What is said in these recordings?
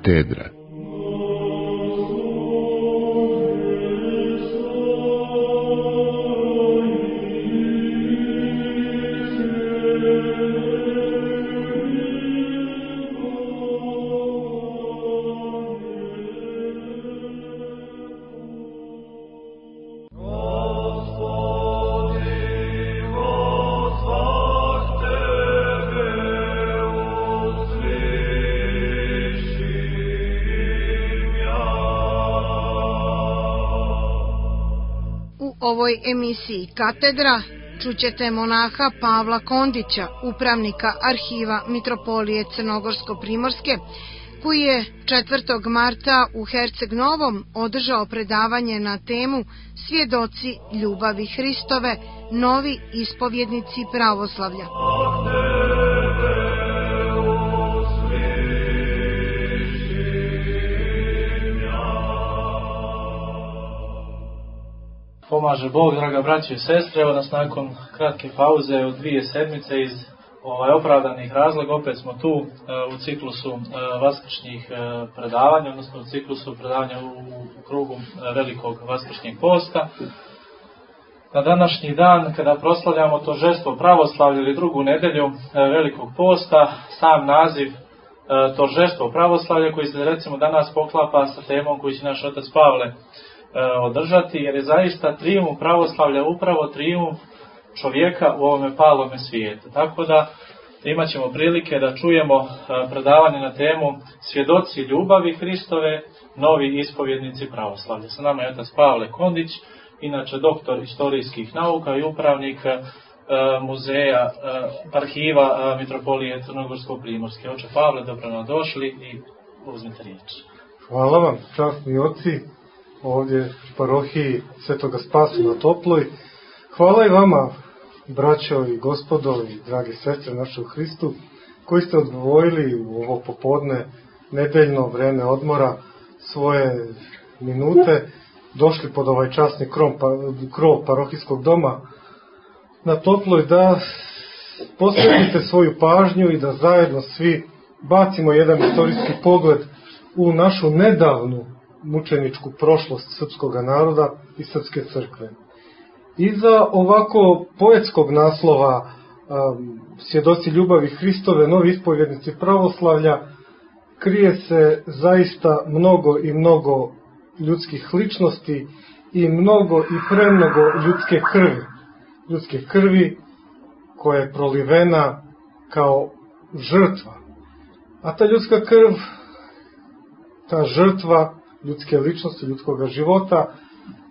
Katedra. U ovoj emisiji Katedra čućete monaha Pavla Kondića, upravnika arhiva Mitropolije Crnogorsko-Primorske, koji je 4. marta u Herceg Novom održao predavanje na temu Svjedoci ljubavi Hristove, novi ispovjednici pravoslavlja. Pomaže Bog, draga braći i sestre, evo nas nakon kratke pauze od 2 sedmice iz opravdanih razloga, opet smo tu u ciklusu vaskršnjih predavanja, odnosno u ciklusu predavanja u krugu velikog vaskršnjeg posta. Na današnji dan, kada proslavljamo Tožestvo pravoslavlja ili drugu nedelju velikog posta, sam naziv Tožestvo pravoslavlja koji se recimo danas poklapa sa temom koju će naš otac Pavle održati, jer je zaista trijumf pravoslavlja upravo trijumf čovjeka u ovome palome svijetu. Tako da imat ćemo prilike da čujemo predavanje na temu Svjedoci ljubavi Hristove, novi ispovjednici pravoslavlja. Sa nama je otac Pavle Kondić, inače doktor istorijskih nauka i upravnik muzeja, arhiva Mitropolije Crnogorsko-Primorske. Oče Pavle, dobro nam došli i uzmite riječ. Hvala vam, časni oci, ovdje u parohiji Svetoga Spasa na Toploj. Hvala i vama, braćo i gospodo i drage sestre naše u Hristu, koji ste odvojili u ovo popodne, nedeljno vreme odmora, svoje minute, došli pod ovaj časni krov parohijskog doma na Toploj, da posvetite svoju pažnju i da zajedno svi bacimo jedan istorijski pogled u našu nedavnu mučeničku prošlost srpskog naroda i srpske crkve. Iza ovako poetskog naslova Svjedoci ljubavi Hristove, novi ispovjednici pravoslavlja, krije se zaista mnogo i mnogo ljudskih ličnosti i mnogo i premnogo ljudske krvi. Ljudske krvi koja je prolivena kao žrtva. A ta ljudska krv, ta žrtva ljudske ličnosti, ljudskog života,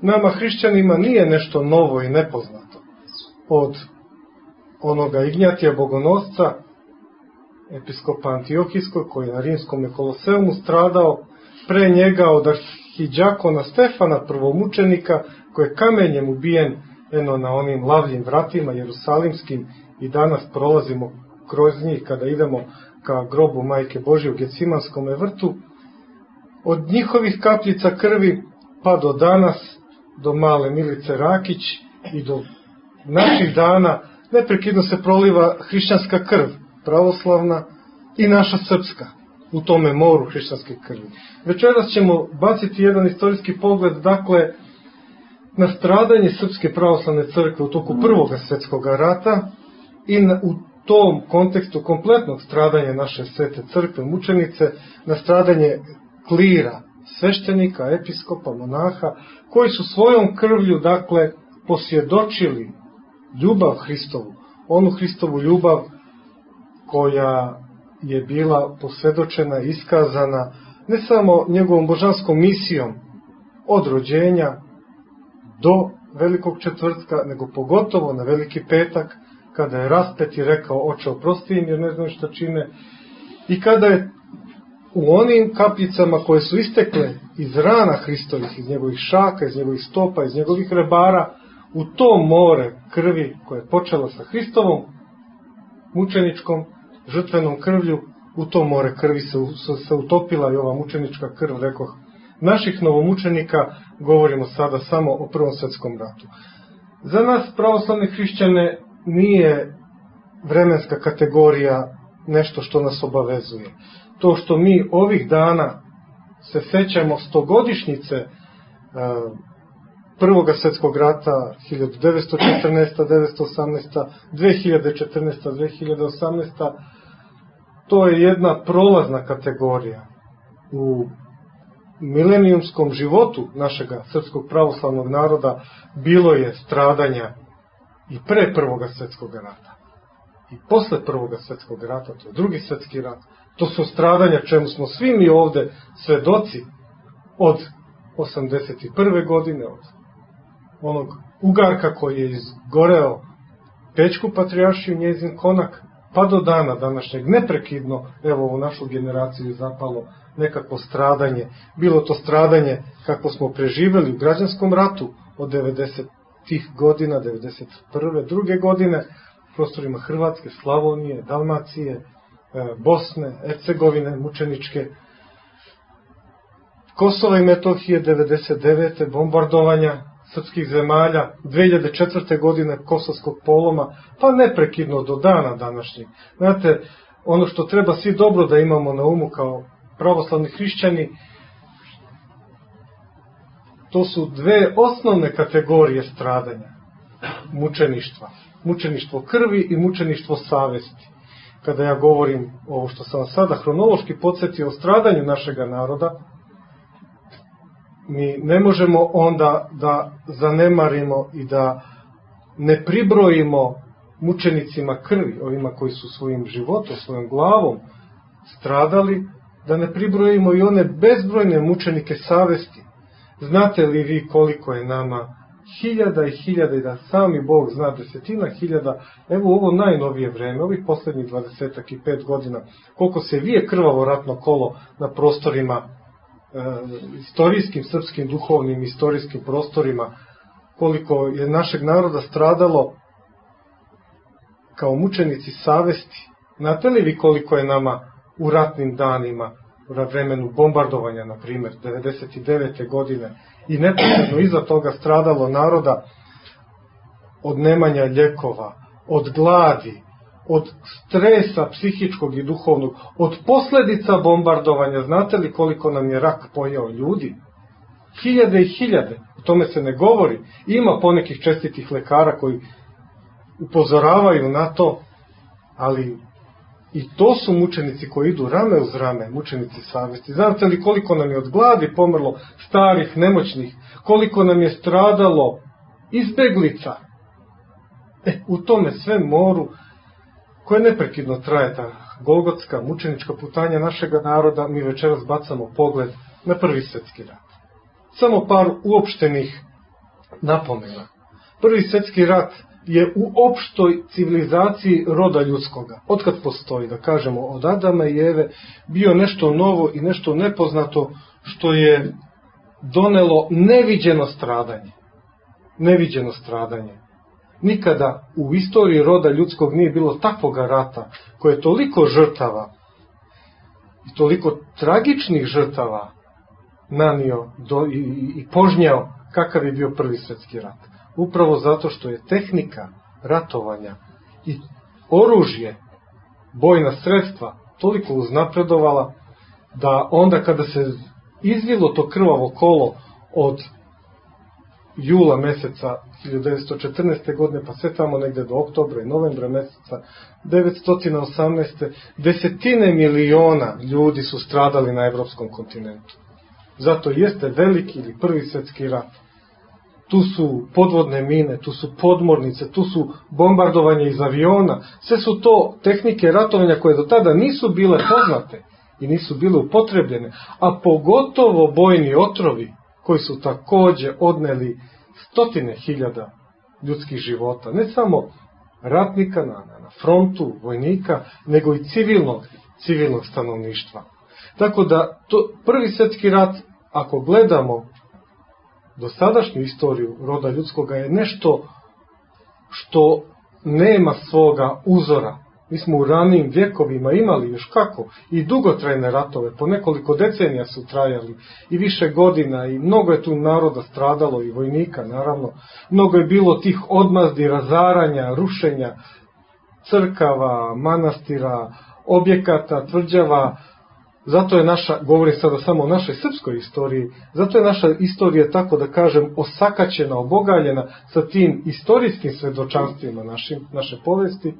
nama hrišćanima nije nešto novo i nepoznato. Od onoga Ignjatija Bogonosca, episkopa Antiohijskog, koji je na rimskom Koloseumu stradao, pre njega od arhidjakona Stefana, prvomučenika, koji je kamenjem ubijen na onim lavljim vratima jerusalimskim i danas prolazimo kroz njih kada idemo ka grobu Majke Božje u Gecimanskom vrtu. Od njihovih kapljica krvi pa do danas, do male Milice Rakić i do naših dana neprekidno se proliva hrišćanska krv, pravoslavna i naša srpska, u tome moru hrišćanske krvi. Večeras ćemo baciti jedan istorijski pogled, dakle, na stradanje Srpske pravoslavne crkve u toku Prvog svjetskog rata i u tom kontekstu kompletnog stradanja naše svete crkve, mučenice, na stradanje klira, sveštenika, episkopa, monaha, koji su svojom krvlju, dakle, posvjedočili ljubav Hristovu, onu Hristovu ljubav koja je bila posvjedočena, iskazana ne samo njegovom božanskom misijom od rođenja do Velikog četvrtka, nego pogotovo na Veliki petak, kada je raspet i rekao: Oče, oprosti im jer ne znaju šta čine, i kada je u onim kapljicama koje su istekle iz rana Hristovih, iz njegovih šaka, iz njegovih stopa, iz njegovih rebara, u to more krvi koje je počela sa Hristovom mučeničkom žrtvenom krvlju, u to more krvi se utopila i ova mučenička krv, rekoh, naših novomučenika. Govorimo sada samo o Prvom svjetskom ratu. Za nas pravoslavne hrišćane nije vremenska kategorija nešto što nas obavezuje. To što mi ovih dana se sećamo stogodišnjice Prvog svjetskog rata 1914-1918, 2014-2018, to je jedna prolazna kategorija. U milenijumskom životu našega srpskog pravoslavnog naroda bilo je stradanja i pre Prvog svjetskog rata. I posle Prvog svjetskog rata, to je Drugi svjetski rat, to su stradanja čemu smo svi mi ovde svedoci od 81. godine, od onog ugarka koji je izgoreo Pećku patrijaršiju, njezin konak, pa do dana današnjeg neprekidno, evo u našu generaciju je zapalo nekakvo stradanje. Bilo to stradanje kako smo preživeli u građanskom ratu od 90. godina, 91. druge godine, u prostorima Hrvatske, Slavonije, Dalmacije, Bosne, Hercegovine, mučeničke, Kosova i Metohije, 99. bombardovanja srpskih zemalja, 2004. godine Kosovskog poloma, pa neprekidno do dana današnjeg. Znate, ono što treba svi dobro da imamo na umu kao pravoslavni hrišćani, to su dve osnovne kategorije stradanja mučeništva. Mučeništvo krvi i mučeništvo savesti. Kada ja govorim ovo što sam sada hronološki podsjetio o stradanju našega naroda, mi ne možemo onda da zanemarimo i da ne pribrojimo mučenicima krvi, ovima koji su svojim životom, svojom glavom stradali, da ne pribrojimo i one bezbrojne mučenike savesti. Znate li vi koliko je nama hiljada i hiljada, i da sami Bog zna desetina hiljada, evo u ovo najnovije vreme, ovih poslednjih 25 godina, koliko se vije krvavo ratno kolo na prostorima, istorijskim, srpskim, duhovnim, istorijskim prostorima, koliko je našeg naroda stradalo kao mučenici savesti. Znate li vi koliko je nama u ratnim danima, u vremenu bombardovanja, na primjer, 99. godine, i neposredno iza toga stradalo naroda od nemanja ljekova, od gladi, od stresa psihičkog i duhovnog, od posledica bombardovanja. Znate li koliko nam je rak pojeo ljudi? Hiljade i hiljade, o tome se ne govori. Ima ponekih čestitih lekara koji upozoravaju na to, ali i to su mučenici koji idu rame uz rame, mučenici savesti. Znate li koliko nam je od gladi pomrlo starih, nemoćnih, koliko nam je stradalo izbeglica? U tome sve moru, koje neprekidno traje ta golgotska, mučenička putanja našega naroda, mi večeras bacamo pogled na Prvi svjetski rat. Samo par uopštenih napomena. Prvi svjetski rat je u opštoj civilizaciji roda ljudskoga, otkad postoji, da kažemo, od Adama i Eve, bio nešto novo i nešto nepoznato što je donelo neviđeno stradanje. Neviđeno stradanje. Nikada u istoriji roda ljudskog nije bilo takvoga rata koje je toliko žrtava i toliko tragičnih žrtava nanio i požnjao kakav je bio Prvi svjetski rat. Upravo zato što je tehnika ratovanja i oružje, bojna sredstva toliko uznapredovala da onda kada se izvilo to krvavo kolo od jula meseca 1914. godine pa sve tamo negde do oktobra i novembra meseca 1918. desetine miliona ljudi su stradali na evropskom kontinentu. Zato jeste veliki ili Prvi svjetski rat. Tu su podvodne mine, tu su podmornice, tu su bombardovanje iz aviona. Sve su to tehnike ratovanja koje do tada nisu bile poznate i nisu bile upotrebljene, a pogotovo bojni otrovi koji su takođe odneli stotine hiljada ljudskih života. Ne samo ratnika na frontu, vojnika, nego i civilnog stanovništva. Tako da Prvi svjetski rat, ako gledamo dosadašnju istoriju roda ljudskoga, je nešto što nema svoga uzora. Mi smo u ranijim vjekovima imali još kako i dugotrajne ratove, po nekoliko decenija su trajali i više godina i mnogo je tu naroda stradalo i vojnika naravno. Mnogo je bilo tih odmazdi, razaranja, rušenja crkava, manastira, objekata, tvrđava, Zato je naša, govorim sada samo o našoj srpskoj istoriji, zato je naša istorija, tako da kažem, osakaćena, obogaljena sa tim istorijskim svedočanstvima naše povesti,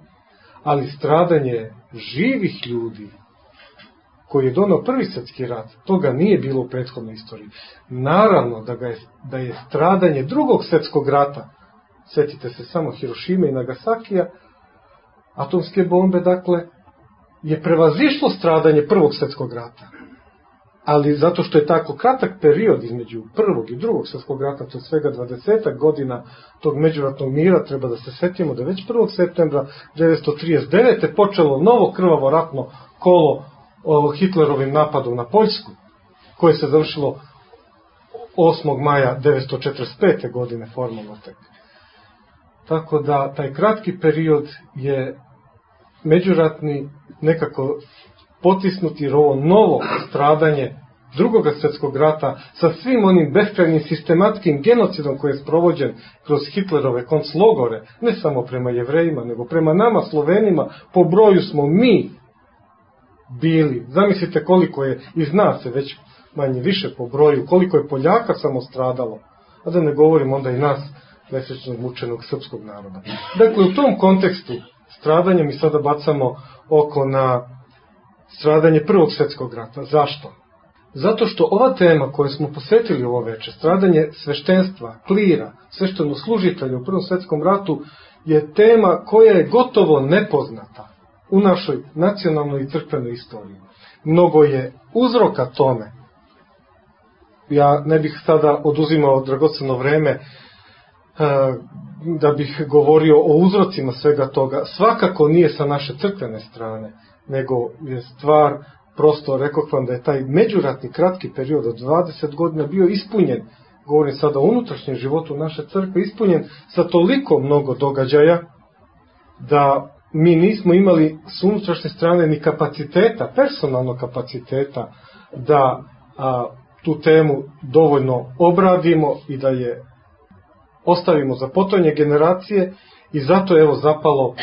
ali stradanje živih ljudi koji je donao Prvi svjetski rat, toga nije bilo u prethodnoj istoriji. Naravno da je stradanje Drugog svjetskog rata, sjetite se samo Hirošime i Nagasakija, atomske bombe, dakle, je prevazišlo stradanje Prvog svjetskog rata. Ali zato što je tako kratak period između Prvog i Drugog svjetskog rata, to je svega 20 godina tog međuratnog mira, treba da se setimo da već 1. septembra 1939. počelo novo krvavo ratno kolo Hitlerovim napadom na Poljsku, koje se završilo 8. maja 1945. godine formalno tek. Tako da taj kratki period je međuratni nekako potisnut, jer ovo novo stradanje Drugog svjetskog rata sa svim onim beskrajnim sistematskim genocidom koji je sprovođen kroz Hitlerove konclogore, ne samo prema Jevrejima, nego prema nama Slovenima, po broju smo mi bili. Zamislite koliko je, i zna se već manje više po broju, koliko je Poljaka samo stradalo, a da ne govorim onda i nas, nesrećnog mučenog srpskog naroda. Dakle, u tom kontekstu stradanja mi sada bacamo oko na stradanje Prvog svjetskog rata. Zašto? Zato što ova tema koju smo posvetili ovo večer, stradanje sveštenstva, klira, sveštenoslужitelja u Prvom svjetskom ratu, je tema koja je gotovo nepoznata u našoj nacionalnoj i crkvenoj istoriji. Mnogo je uzroka tome. Ja ne bih sada oduzimao dragoceno vreme da bih govorio o uzrocima svega toga. Svakako nije sa naše crkvene strane, nego je stvar, prosto rekoh vam da je taj međuratni kratki period od 20 godina bio ispunjen, govorim sada o unutrašnjem životu naše crkve, ispunjen sa toliko mnogo događaja da mi nismo imali s unutrašnje strane ni kapaciteta, personalnog kapaciteta da tu temu dovoljno obradimo i da je ostavimo za potonje generacije, i zato je evo zapalo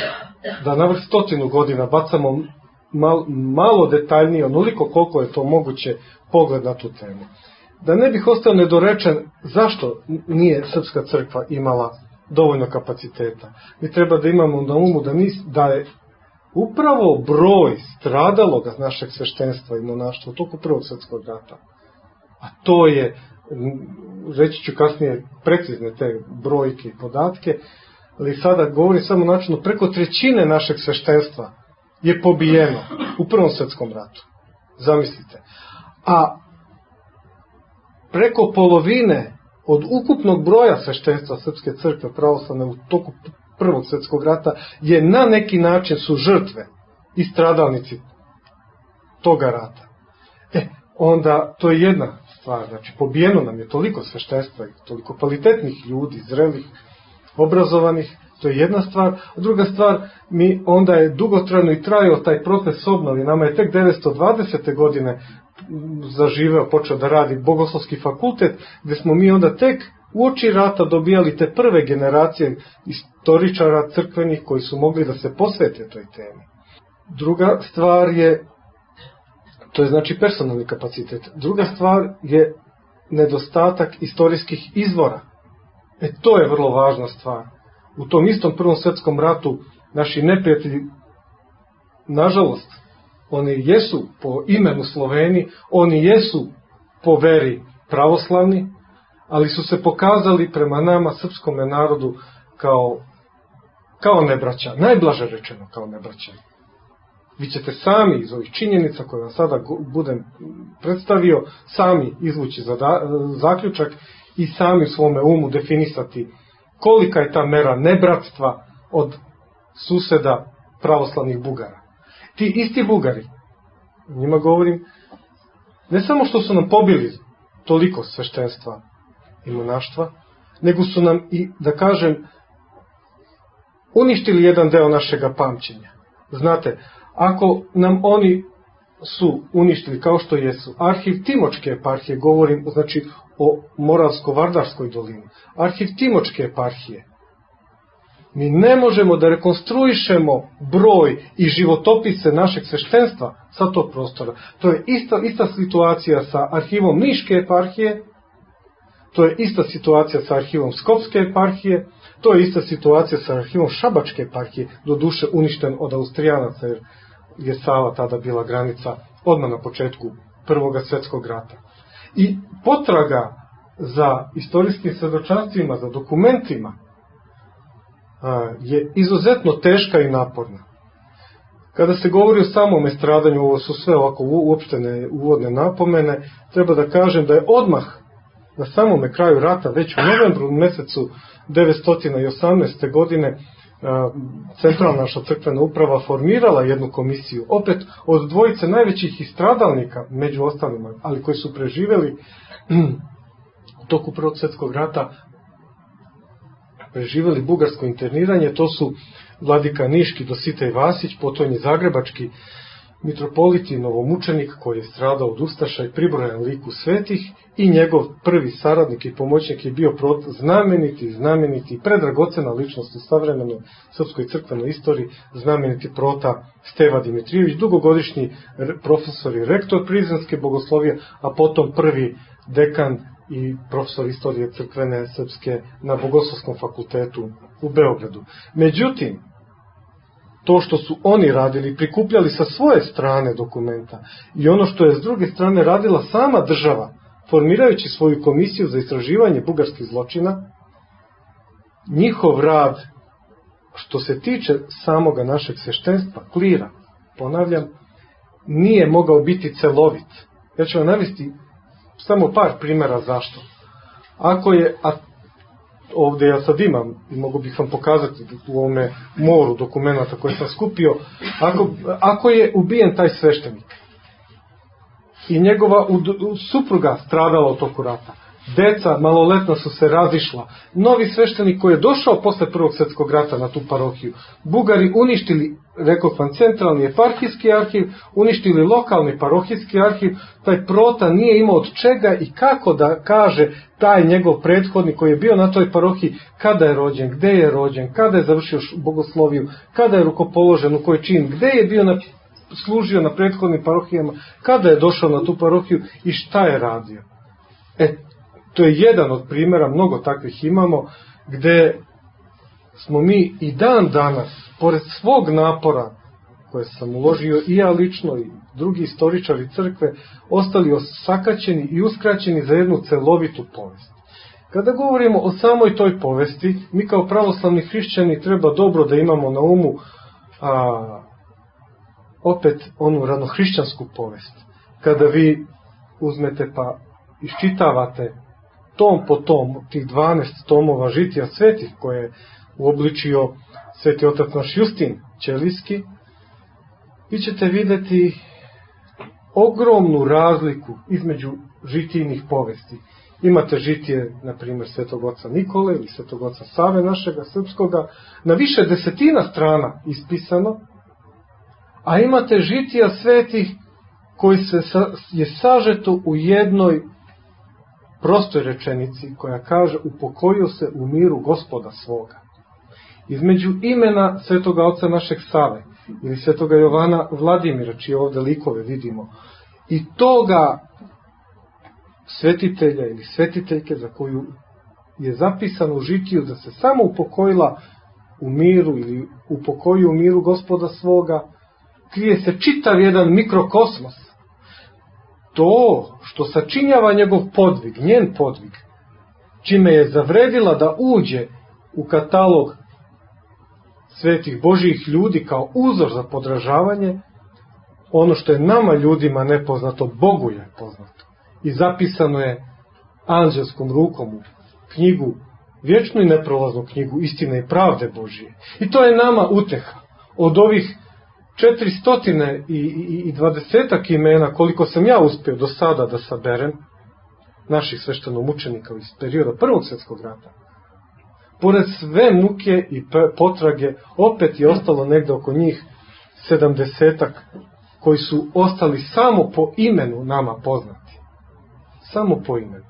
da navrh 100 godina bacamo malo detaljnije, onoliko koliko je to moguće, pogled na tu temu. Da ne bih ostao nedorečen zašto nije Srpska crkva imala dovoljno kapaciteta. Mi treba da imamo na umu da je upravo broj stradaloga našeg sveštenstva i monaštva u toku Prvog svjetskog rata, a to je, reći ću kasnije precizne te brojke i podatke, ali sada govorim samo načinu, preko 1/3 našeg sveštenstva je pobijeno u Prvom svjetskom ratu. Zamislite. A preko polovine od ukupnog broja sveštenstva Srpske crkve pravoslavne u toku Prvog svjetskog rata je na neki način su žrtve i stradalnici toga rata. Onda to je jedna stvar, znači pobijeno nam je toliko sveštenstva i toliko kvalitetnih ljudi, zrelih, obrazovanih, to je jedna stvar. A druga stvar, mi onda je dugotrajno i trajao taj proces obnovi. Nama je tek 1920. godine zaživeo, počeo da radi Bogoslovski fakultet, gde smo mi onda tek uoči rata dobijali te prve generacije istoričara crkvenih koji su mogli da se posvete toj temi. Druga stvar je, to je znači personalni kapacitet. Druga stvar je nedostatak istorijskih izvora. To je vrlo važna stvar. U tom istom Prvom svjetskom ratu naši neprijatelji, nažalost, oni jesu po imenu Sloveni, oni jesu po veri pravoslavni, ali su se pokazali prema nama, srpskome narodu, kao nebraća. Najblaže rečeno kao nebraća. Vi ćete sami iz ovih činjenica koje vam sada budem predstavio, sami izvući zaključak i sami u svome umu definisati kolika je ta mera nebratstva od suseda pravoslavnih Bugara. Ti isti Bugari, njima govorim, ne samo što su nam pobili toliko sveštenstva i monaštva, nego su nam i, da kažem, uništili jedan deo našega pamćenja. Znate, ako nam oni su uništili, kao što jesu, arhiv Timočke eparhije, govorim znači o Moravsko-Vardarskoj dolini, arhiv Timočke eparhije Mi ne možemo da rekonstruišemo broj i životopise našeg sveštenstva sa tog prostora. To je ista situacija sa arhivom Niške eparhije, to je ista situacija sa arhivom Skopske eparhije, to je ista situacija sa arhivom Šabačke eparhije, doduše uništen od Austrijanaca, jer je Sava tada bila granica odmah na početku Prvog svjetskog rata. I potraga za istorijskim svedočanstvima, za dokumentima, je izuzetno teška i naporna. Kada se govori o samom stradanju, ovo su sve ovako uopštene uvodne napomene, treba da kažem da je odmah na samome kraju rata, već u novembru mesecu 1918. godine, centralna naša crkvena uprava formirala jednu komisiju, opet od dvojice najvećih stradalnika, među ostalima, ali koji su preživjeli u toku Prvog svjetskog rata, preživjeli bugarsko interniranje. To su vladika Niški Dositej Vasić, potom je zagrebački mitropolit i novomučenik koji je stradao od ustaša i pribrojan liku svetih, i njegov prvi saradnik i pomoćnik je bio znameniti predragocena ličnost u savremenoj srpskoj crkvenoj istoriji, znameniti prota Steva Dimitrijević, dugogodišnji profesor i rektor Prizrenske bogoslovije, a potom prvi dekan i profesor istorije crkvene srpske na Bogoslovskom fakultetu u Beogradu. Međutim, to što su oni radili, prikupljali sa svoje strane dokumenta, i ono što je s druge strane radila sama država, formirajući svoju komisiju za istraživanje bugarskih zločina, njihov rad, što se tiče samoga našeg sveštenstva, klira, ponavljam, nije mogao biti celovit. Ja ću vam navesti samo par primjera zašto. Ovdje ja sad imam i mogu bih vam pokazati u ovome moru dokumenta koje sam skupio, ako je ubijen taj sveštenik i njegova supruga stradala u toku rata, deca maloletna su se razišla, novi sveštenik koji je došao posle Prvog svjetskog rata na tu parohiju, Bugari uništili, rekao sam, centralni eparhijski arhiv, uništili lokalni parohijski arhiv, taj prota nije imao od čega i kako da kaže taj njegov prethodnik koji je bio na toj parohiji kada je rođen, gde je rođen, kada je završio bogosloviju, kada je rukopoložen, u koji čin, gde je bio služio na prethodnim parohijama, kada je došao na tu parohiju i šta je radio. To je jedan od primjera, mnogo takvih imamo, gde smo mi i dan danas, pored svog napora koje sam uložio i ja lično i drugi istoričari crkve, ostali osakaćeni i uskraćeni za jednu celovitu povest. Kada govorimo o samoj toj povesti, mi kao pravoslavni hrišćani treba dobro da imamo na umu opet onu ranohrišćansku povest. Kada vi uzmete pa iščitavate tom po tom, tih 12 tomova žitija svetih koje je uobličio sveti otac naš Justin Ćelijski, vi ćete vidjeti ogromnu razliku između žitijnih povesti. Imate žitije, na primjer, svetog oca Nikole ili svetog oca Save našega srpskoga, na više desetina strana ispisano, a imate žitija svetih koji je sažeto u jednoj prostoj rečenici koja kaže: upokojio se u miru Gospoda svoga. Između imena svetoga oca našeg Save ili svetoga Jovana Vladimira, čije ovde likove vidimo, i toga svetitelja ili svetiteljke za koju je zapisano u žitiju da se samo upokojila u miru ili upokojio u miru Gospoda svoga, krije se čitav jedan mikrokosmos. To što sačinjava njegov podvig, njen podvig, čime je zavredila da uđe u katalog svetih Božijih ljudi kao uzor za podražavanje, ono što je nama ljudima nepoznato, Bogu je poznato. I zapisano je anđelskom rukom u knjigu, vječnu i neprolaznu knjigu istine i pravde Božije. I to je nama uteha. Od ovih 420 imena, koliko sam ja uspio do sada da saberem, naših sveštenomučenika iz perioda Prvog svjetskog rata, pored sve muke i potrage, opet je ostalo negde oko njih 70-ak koji su ostali samo po imenu nama poznati. Samo po imenu.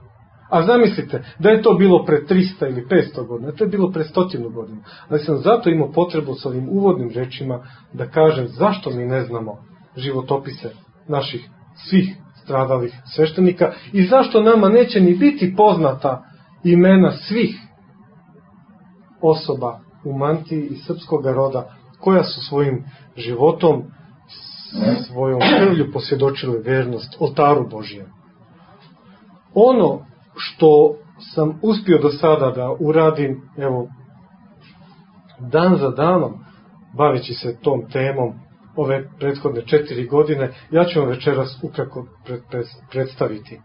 A zamislite, da je to bilo pre 300 ili 500 godina, to je bilo pre 100 godina. Ali sam zato imao potrebu s ovim uvodnim rečima da kažem zašto mi ne znamo životopise naših svih stradalih sveštenika i zašto nama neće ni biti poznata imena svih osoba u mantiji i srpskog roda koja su svojim životom, svojom krvlju posvjedočile vernost oltaru Božijem. Ono što sam uspio do sada da uradim, evo, dan za danom, baveći se tom temom ove prethodne 4 godine, ja ću vam večeras ukratko predstaviti.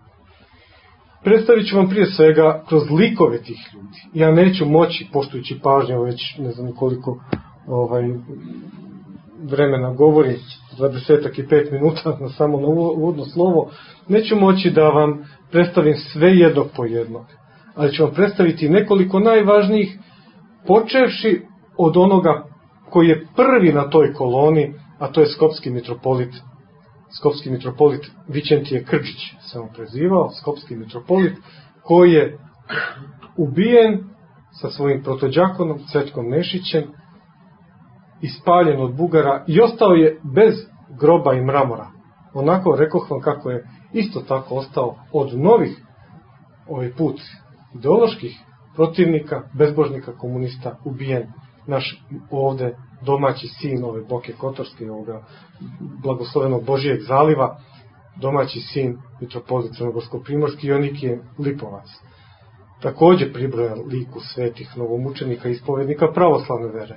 Predstavit ću vam prije svega kroz likove tih ljudi. Ja neću moći, poštujući pažnju, već ne znam koliko vremena govori, 25 minuta na samo na uvodno slovo, neću moći da vam predstavim sve jednog po jednog, ali ću vam predstaviti nekoliko najvažnijih, počevši od onoga koji je prvi na toj koloni, a to je skopski mitropolit Vićentije Krđić, se on prezivao, skopski mitropolit, koji je ubijen sa svojim protođakonom Cvetkom Nešićem, ispaljen od Bugara i ostao je bez groba i mramora. Onako rekoh vam kako je isto tako ostao od novih, ovaj put, ideoloških protivnika, bezbožnika, komunista, ubijen naš ovde domaći sin ove Boke Kotorske, ovoga blagoslovenog Božijeg zaliva, domaći sin mitropolit Crnogorsko-primorski Jonikije Lipovac. Takođe pribrojan liku svetih novomučenika i ispovednika pravoslavne vere.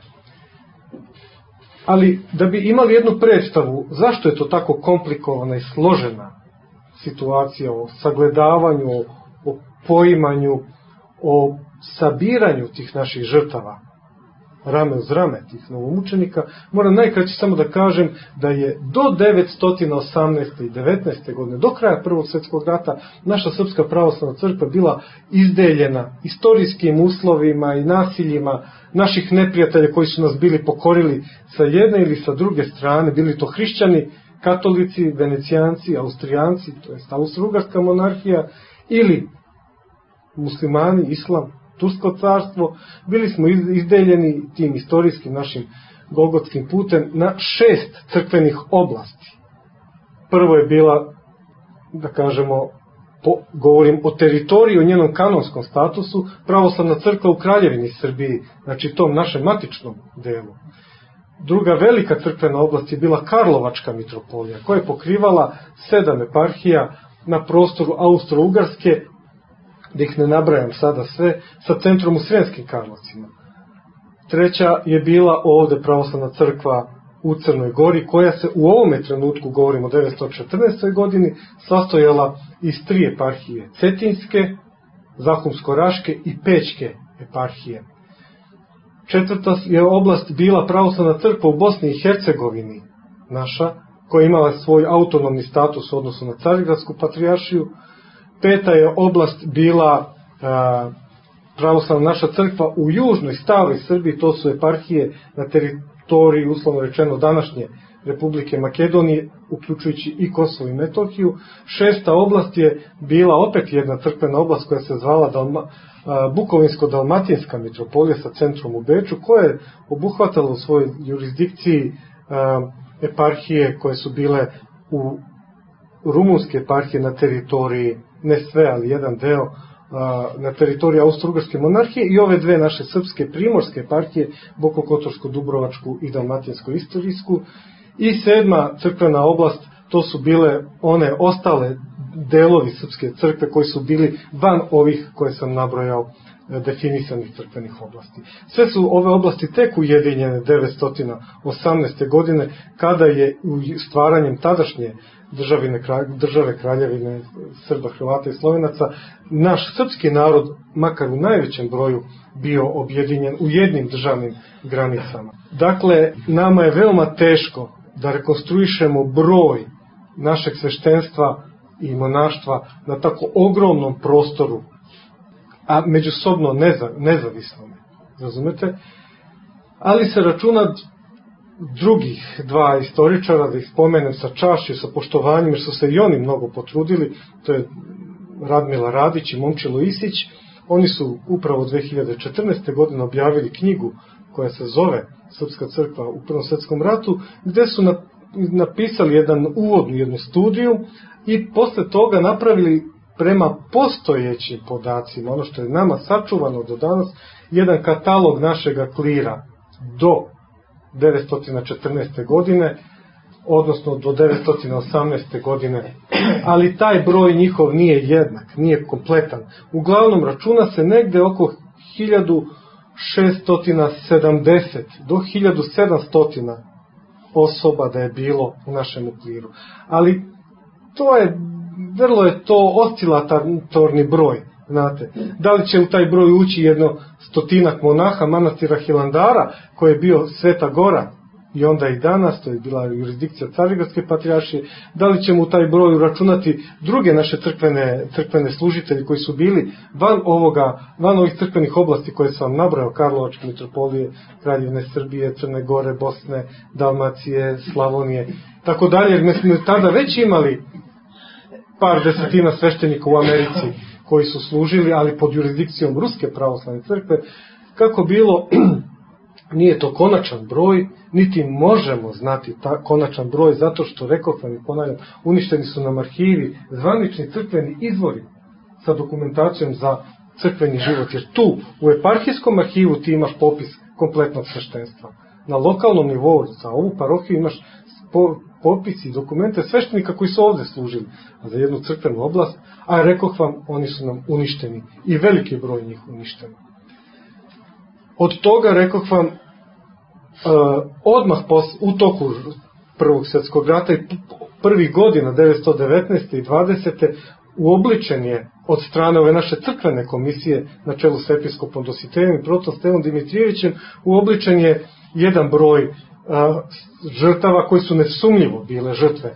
Ali da bi imali jednu predstavu zašto je to tako komplikovana i složena situacija o sagledavanju, o poimanju, o sabiranju tih naših žrtava, rame uz rame tih novomučenika, moram najkraće samo da kažem da je do 918. i 19. godine, do kraja Prvog svjetskog rata, naša Srpska pravoslavna crkva bila izdeljena istorijskim uslovima i nasiljima naših neprijatelja koji su nas bili pokorili sa jedne ili sa druge strane, bili to hrišćani, katolici, venecijanci, austrijanci, to je Austro-Ugarska monarhija, ili muslimani, islam, Tursko carstvo. Bili smo izdeljeni tim istorijskim našim golgotskim putem na 6 crkvenih oblasti. Prvo je bila, da kažemo, govorim o teritoriji, o njenom kanonskom statusu, pravoslavna crkva u Kraljevini Srbiji, znači tom našem matičnom delu. Druga velika crkvena oblast je bila Karlovačka mitropolija, koja je pokrivala 7 eparhija na prostoru Austro-Ugarske, da ih ne nabrajam sada sve, sa centrom u Sremskim Karlovcima. Treća je bila ovde pravoslavna crkva u Crnoj Gori, koja se u ovome trenutku, govorimo o 914. godini, sastojala iz 3 eparhije, Cetinske, Zahumsko-Raške i Pećke eparhije. Četvrta je oblast bila pravoslavna crkva u Bosni i Hercegovini, naša, koja je imala svoj autonomni status u odnosu na Carigradsku patrijaršiju. Peta je oblast bila pravoslavna naša crkva u južnoj, staroj Srbiji, to su eparhije na teritoriji, uslovno rečeno, današnje Republike Makedonije, uključujući i Kosovo i Metohiju. Šesta oblast je bila opet jedna crkvena oblast koja se zvala Bukovinsko-dalmatinska mitropolija sa centrom u Beču, koja je obuhvatala u svojoj jurisdikciji eparhije koje su bile u rumunske eparhije na teritoriji, ne sve, ali jedan deo, na teritoriji Austro-Ugarske monarhije, i ove dve naše srpske primorske eparhije, Boko-Kotorsku, i Dalmatinsko-istorijsku. I 7. crkvena oblast, to su bile one ostale delovi srpske crkve koji su bili van ovih koje sam nabrojao definisanih crkvenih oblasti. Sve su ove oblasti tek ujedinjene 918. godine, kada je stvaranjem tadašnje države Kraljevine Srba, Hrvata i Slovenaca naš srpski narod, makar u najvećem broju, bio objedinjen u jednim državnim granicama. Dakle, nama je veoma teško da rekonstruišemo broj našeg sveštenstva i monaštva na tako ogromnom prostoru, a međusobno nezavisnom, razumete? Ali se računa drugih 2 istoričara, da ih spomenem sa čašću, sa poštovanjem, jer su se i oni mnogo potrudili, to je Radmila Radić i Momčilo Isić. Oni su upravo 2014. godine objavili knjigu koja se zove Srpska crkva u Prvom svjetskom ratu, gde su napisali jednu studiju i posle toga napravili prema postojećim podacima, ono što je nama sačuvano do danas, jedan katalog našega klira do 914. godine, odnosno do 918. godine, ali taj broj njihov nije jednak, nije kompletan. Uglavnom računa se negde oko 1670 do 1700 osoba da je bilo u našem kliru. Ali vrlo je to oscilatorni broj, znate. Da li će u taj broj ući 100 monaha manastira Hilandara, koji je bio Sveta Gora, i onda i danas, to je bila jurisdikcija Carigradske patrijaršije, da li ćemo u taj broj uračunati druge naše crkvene služitelji koji su bili van ovih crkvenih oblasti koje sam vam nabrao, Karlovačke mitropolije, Kraljevine Srbije, Crne Gore, Bosne, Dalmacije, Slavonije, tako dalje, jer mi smo tada već imali par desetina sveštenika u Americi koji su služili, ali pod jurisdikcijom Ruske pravoslavne crkve. Kako bilo, nije to konačan broj, niti možemo znati konačan broj, zato što, rekoh vam i ponavljam, uništeni su nam arhivi, zvanični crkveni izvori sa dokumentacijom za crkveni život, jer tu, u eparhijskom arhivu, ti imaš popis kompletnog sveštenstva. Na lokalnom nivou, za ovu parohiju, imaš popis i dokumente sveštenika koji su ovde služili, a za jednu crkvenu oblast, a rekoh vam, oni su nam uništeni i veliki broj njih uništeni. Od toga, rekoh vam, odmah u toku Prvog svjetskog rata i prvih godina 1919. i 20. uobličen je od strane ove naše crkvene komisije na čelu s episkopom Dositejom i protom Stevom Dimitrijevićem, uobličen je jedan broj žrtava koji su nesumnjivo bile žrtve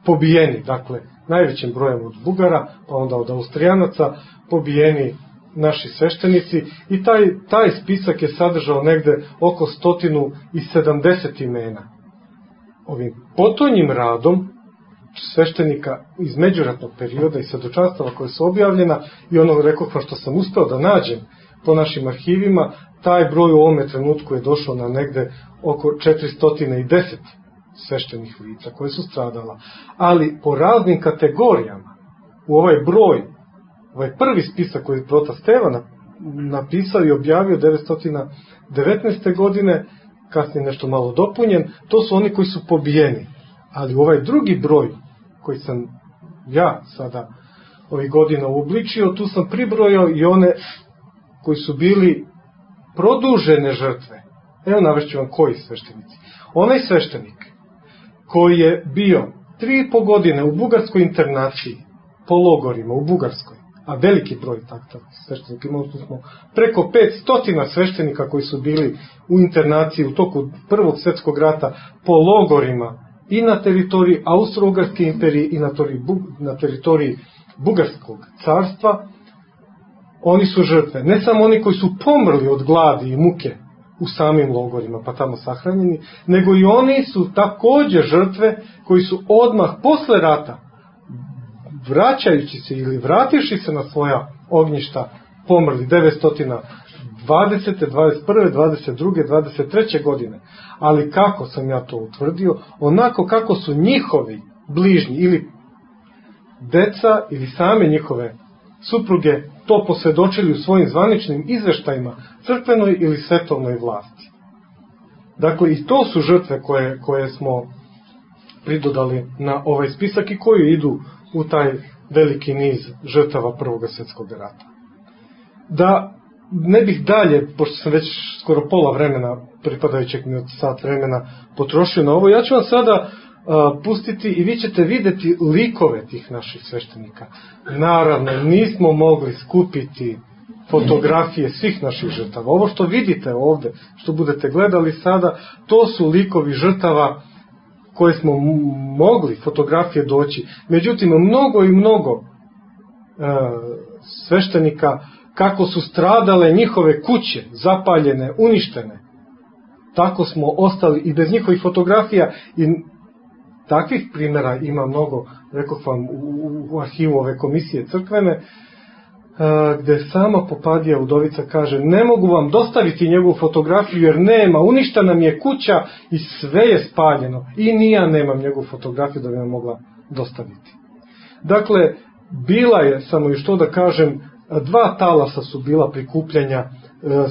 pobijeni, dakle najvećim brojem od Bugara, pa onda od Austrijanaca, pobijeni naši sveštenici, i taj spisak je sadržao negde oko 170 imena. Ovim potonjim radom sveštenika iz međuratnog perioda i svedočanstava koje su objavljena i ono, rekoh vam, što sam uspeo da nađem po našim arhivima, taj broj u ovome trenutku je došao na negde oko 410 sveštenih lica koje su stradala. Ali po raznim kategorijama u ovaj broj, ovaj prvi spisak koji je prota Steva napisao i objavio 919. godine, kasnije nešto malo dopunjen, to su oni koji su pobijeni. Ali ovaj drugi broj koji sam ja sada ovih godina uobličio, tu sam pribrojao i one koji su bili produžene žrtve. Evo navešću vam koji sveštenici. Onaj sveštenik koji je bio 3,5 godine u bugarskoj internaciji, po logorima u Bugarskoj, a veliki broj takvih sveštenika, imali smo preko 500 sveštenika koji su bili u internaciji u toku Prvog svjetskog rata po logorima i na teritoriji Austro-Ugarske imperije i na teritoriji Bugarskog carstva. Oni su žrtve, ne samo oni koji su pomrli od gladi i muke u samim logorima pa tamo sahranjeni, nego i oni su takođe žrtve koji su odmah posle rata, vraćajući se ili vrativši se na svoja ognjišta, pomrli 920, 21, 22, 23. godine. Ali kako sam ja to utvrdio? Onako kako su njihovi bližnji ili deca ili same njihove supruge to posvedočili u svojim zvaničnim izveštajima crkvenoj ili svetovnoj vlasti. Dakle, i to su žrtve koje smo pridodali na ovaj spisak i koji idu u taj veliki niz žrtava Prvog svjetskog rata. Da ne bih dalje, pošto sam već skoro pola vremena, pripadajućeg mi od sat vremena, potrošio na ovo, ja ću vam sada pustiti i vi ćete videti likove tih naših sveštenika. Naravno, nismo mogli skupiti fotografije svih naših žrtava. Ovo što vidite ovde, što budete gledali sada, to su likovi žrtava koje smo mogli fotografije doći. Međutim, mnogo i mnogo sveštenika, kako su stradale njihove kuće, zapaljene, uništene, tako smo ostali i bez njihovih fotografija. I takvih primjera ima mnogo rekoh vam, u arhivu ove komisije crkvene, gde sama Popadija udovica kaže: ne mogu vam dostaviti njegovu fotografiju jer nema, uništa nam je kuća i sve je spaljeno i ni ja nemam njegovu fotografiju da bi vam mogla dostaviti. Dakle, bila je, samo još to da kažem, 2 talasa su bila prikupljanja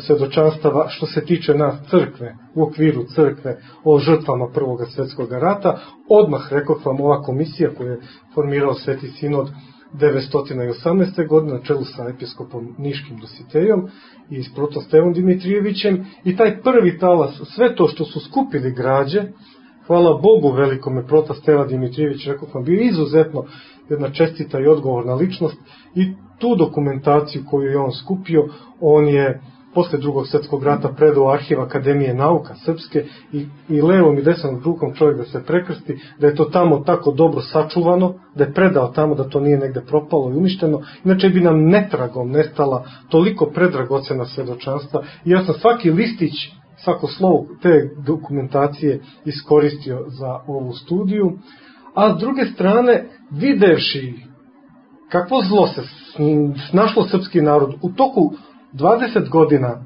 svedočanstava što se tiče nas crkve, u okviru crkve, o žrtvama Prvog svjetskog rata. Odmah, rekoh vam, ova komisija koju je formirao Sveti Sinod 918. godine na čelu sa episkopom Niškim Dositejom i s protostevom Dimitrijevićem, i taj prvi talas, sve to što su skupili građe, hvala Bogu velikome, protosteva Dimitrijević, rekao sam, bio izuzetno jedna čestita i odgovorna ličnost, i tu dokumentaciju koju je on skupio, on je posle Drugog svjetskog rata predao arhiv Akademije nauka srpske i levom i desnom rukom čovjek da se prekrsti, da je to tamo tako dobro sačuvano, da je predao tamo, da to nije negde propalo i uništeno, inače bi nam netragom nestala toliko predragocena svedočanstva. I ja sam svaki listić, svako slovo te dokumentacije iskoristio za ovu studiju, a s druge strane, videvši kakvo zlo se snašlo srpski narod u toku 20 godina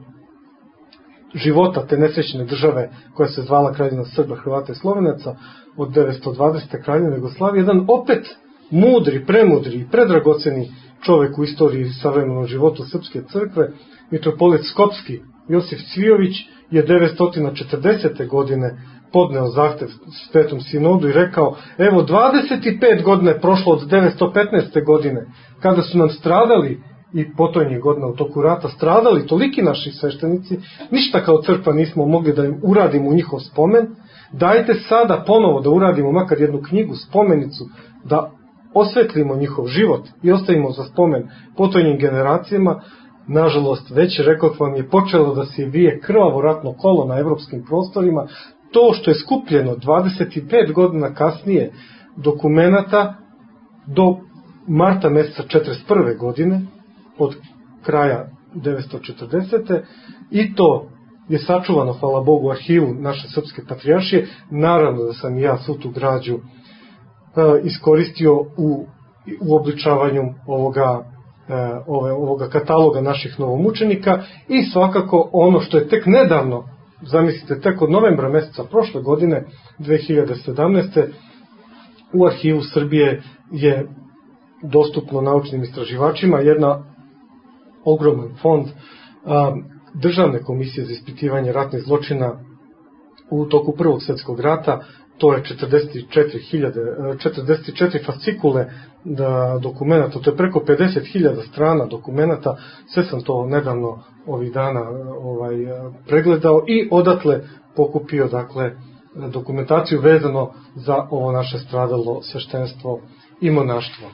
života te nesrećne države koja se zvala Kraljevina Srba, Hrvata i Slovenaca od 920. Kraljevine Jugoslavije, jedan opet mudri, premudri i predragoceni čovek u istoriji savremenog života Srpske crkve, mitropolit Skopski Josif Cvijović, je 940. godine podneo zahtev Svetom Sinodu i rekao: evo 25 godina je prošlo od 915. godine, kada su nam stradali i potonjih godina u toku rata stradali toliki naši sveštenici, ništa kao crkva nismo mogli da im uradimo u njihov spomen, dajte sada ponovo da uradimo makar jednu knjigu, spomenicu, da osvetlimo njihov život i ostavimo za spomen potonjim generacijama. Nažalost, već rekoh vam, je počelo da se vije krvavo ratno kolo na evropskim prostorima. To što je skupljeno 25 godina kasnije dokumenata do marta meseca 1941. godine, od kraja 940. i to je sačuvano, hvala Bogu, u arhivu naše srpske patrijaršije. Naravno da sam i ja svu tu građu iskoristio u obličavanju ovoga kataloga naših novomučenika, i svakako ono što je tek nedavno, zamislite, tek od novembra meseca prošle godine, 2017. u arhivu Srbije je dostupno naučnim istraživačima jedna ogroman fond Državne komisije za ispitivanje ratnih zločina u toku Prvog svjetskog rata. To je 44 fascikule dokumenta, to je preko 50.000 strana dokumenta. Sve sam to nedavno ovih dana pregledao i odatle pokupio, dakle, dokumentaciju vezano za ovo naše stradalo sveštenstvo i monaštvo.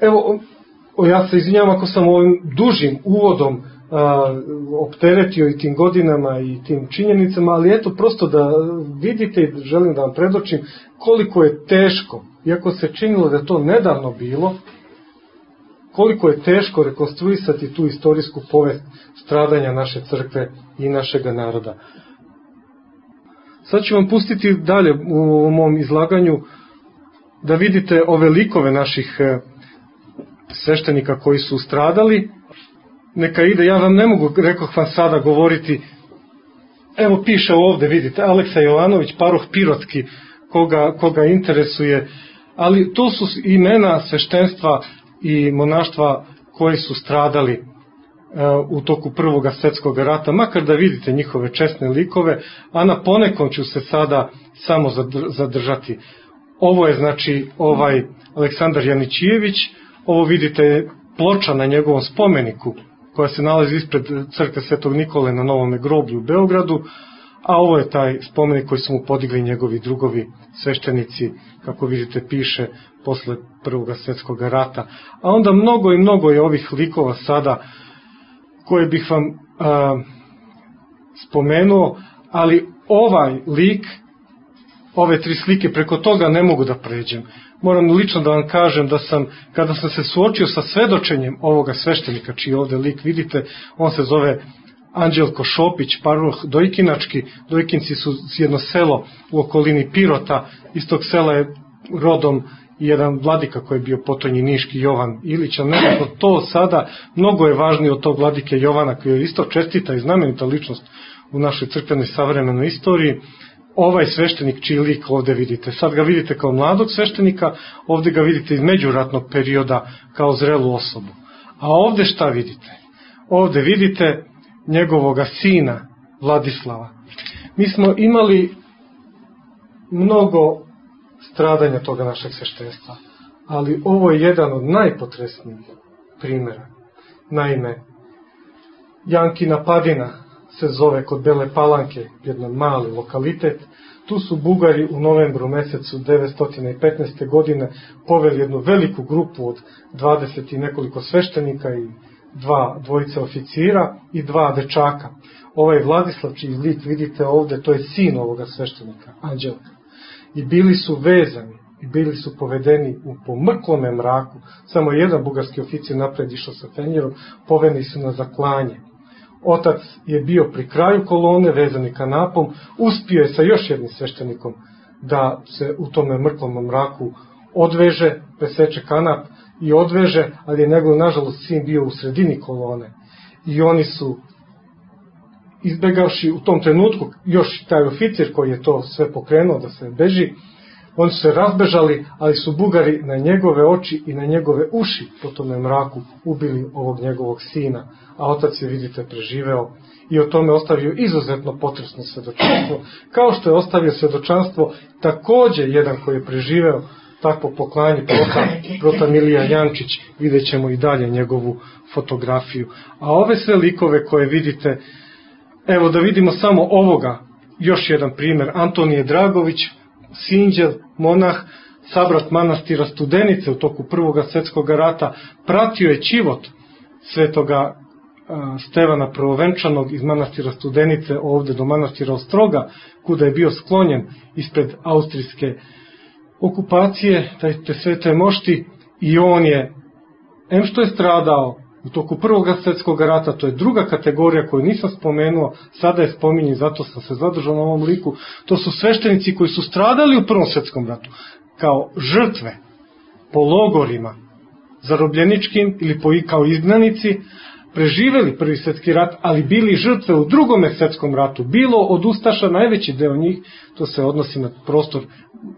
Evo, ja se izvinjavam ako sam ovim dužim uvodom opteretio i tim godinama i tim činjenicama, ali eto, prosto da vidite i želim da vam predočim koliko je teško, iako se činilo da je to nedavno bilo, koliko je teško rekonstruisati tu istorijsku povest stradanja naše crkve i našega naroda. Sad ću vam pustiti dalje u mom izlaganju da vidite ove likove naših sveštenika koji su stradali. Neka ide, ja vam ne mogu, rekoh vam, sada govoriti. Evo piše ovde, vidite, Aleksa Jovanović, paroh Pirotski, koga interesuje, ali to su imena sveštenstva i monaštva koji su stradali u toku Prvog svjetskog rata, makar da vidite njihove česne likove, a na ponekom ću se sada samo zadržati. Ovo je, znači, Aleksandar Janićijević, ovo vidite ploča na njegovom spomeniku koja se nalazi ispred crkve Svetog Nikole na Novome groblju u Beogradu, a ovo je taj spomenik koji su mu podigli njegovi drugovi sveštenici, kako vidite piše, posle Prvog svjetskog rata. A onda mnogo i mnogo je ovih likova sada koje bih vam spomenuo, ali ovaj lik, ove 3 slike, preko toga ne mogu da pređem. Moram lično da vam kažem da sam, kada sam se suočio sa svedočenjem ovoga sveštenika, čiji ovde lik vidite, on se zove Anđelko Šopić, paroh Dojkinački. Dojkinci su jedno selo u okolini Pirota, iz tog sela je rodom i jedan vladika koji je bio potonji Niški Jovan Ilić, ali nekako to sada mnogo je važnije od tog vladike Jovana koji je isto čestita i znamenita ličnost u našoj crkvenoj savremenoj istoriji. Ovaj sveštenik čiji lik ovde vidite, sad ga vidite kao mladog sveštenika, ovde ga vidite iz međuratnog perioda kao zrelu osobu. A ovde šta vidite? Ovde vidite njegovoga sina Vladislava. Mi smo imali mnogo stradanja toga našeg sveštenstva, ali ovo je jedan od najpotresnijih primjera. Naime, Jankina Padina se zove kod Bele Palanke, jedan mali lokalitet. Tu su Bugari u novembru mesecu 915. godine poveli jednu veliku grupu od 20 i nekoliko sveštenika i dvojice oficira i 2 dečaka. Ovaj Vladislav, čiji lik vidite ovde, to je sin ovoga sveštenika, Anđelka. I bili su vezani i bili su povedeni u pomrklome mraku. Samo jedan bugarski oficir napred išao sa fenjerom, poveni su na zaklanje. Otac je bio pri kraju kolone, vezani kanapom, uspio je sa još jednim sveštenikom da se u tome mrklom mraku odveže, preseče kanap i odveže, ali je njegov, nažalost, sin bio u sredini kolone. I oni su, izbegavši u tom trenutku, još taj oficir koji je to sve pokrenuo da se beži, oni su se razbežali, ali su Bugari na njegove oči i na njegove uši po tome mraku ubili ovog njegovog sina, a otac je, vidite, preživeo i o tome ostavio izuzetno potresno svedočanstvo, kao što je ostavio svedočanstvo takođe jedan koji je preživeo takvo poklanje, prota Milija Jančić, vidjet ćemo i dalje njegovu fotografiju. A ove sve likove koje vidite, evo da vidimo samo ovoga, još jedan primjer, Antonije Dragović, sinđel, monah, sabrat manastira Studenice u toku Prvog svjetskog rata, pratio je čivot svetoga Stevana Prvovenčanog iz manastira Studenice ovde do manastira Ostroga, kuda je bio sklonjen ispred austrijske okupacije, te svete mošti, i on je, em što je stradao u toku Prvog svjetskog rata, to je druga kategorija koju nisam spomenuo, sada je spominjem, zato sam se zadržao na ovom liku, to su sveštenici koji su stradali u Prvom svjetskom ratu, kao žrtve, po logorima, zarobljeničkim ili kao izgnanici, preživeli Prvi svjetski rat, ali bili žrtve u Drugom svjetskom ratu, bilo od ustaša, najveći deo njih, to se odnosi na prostor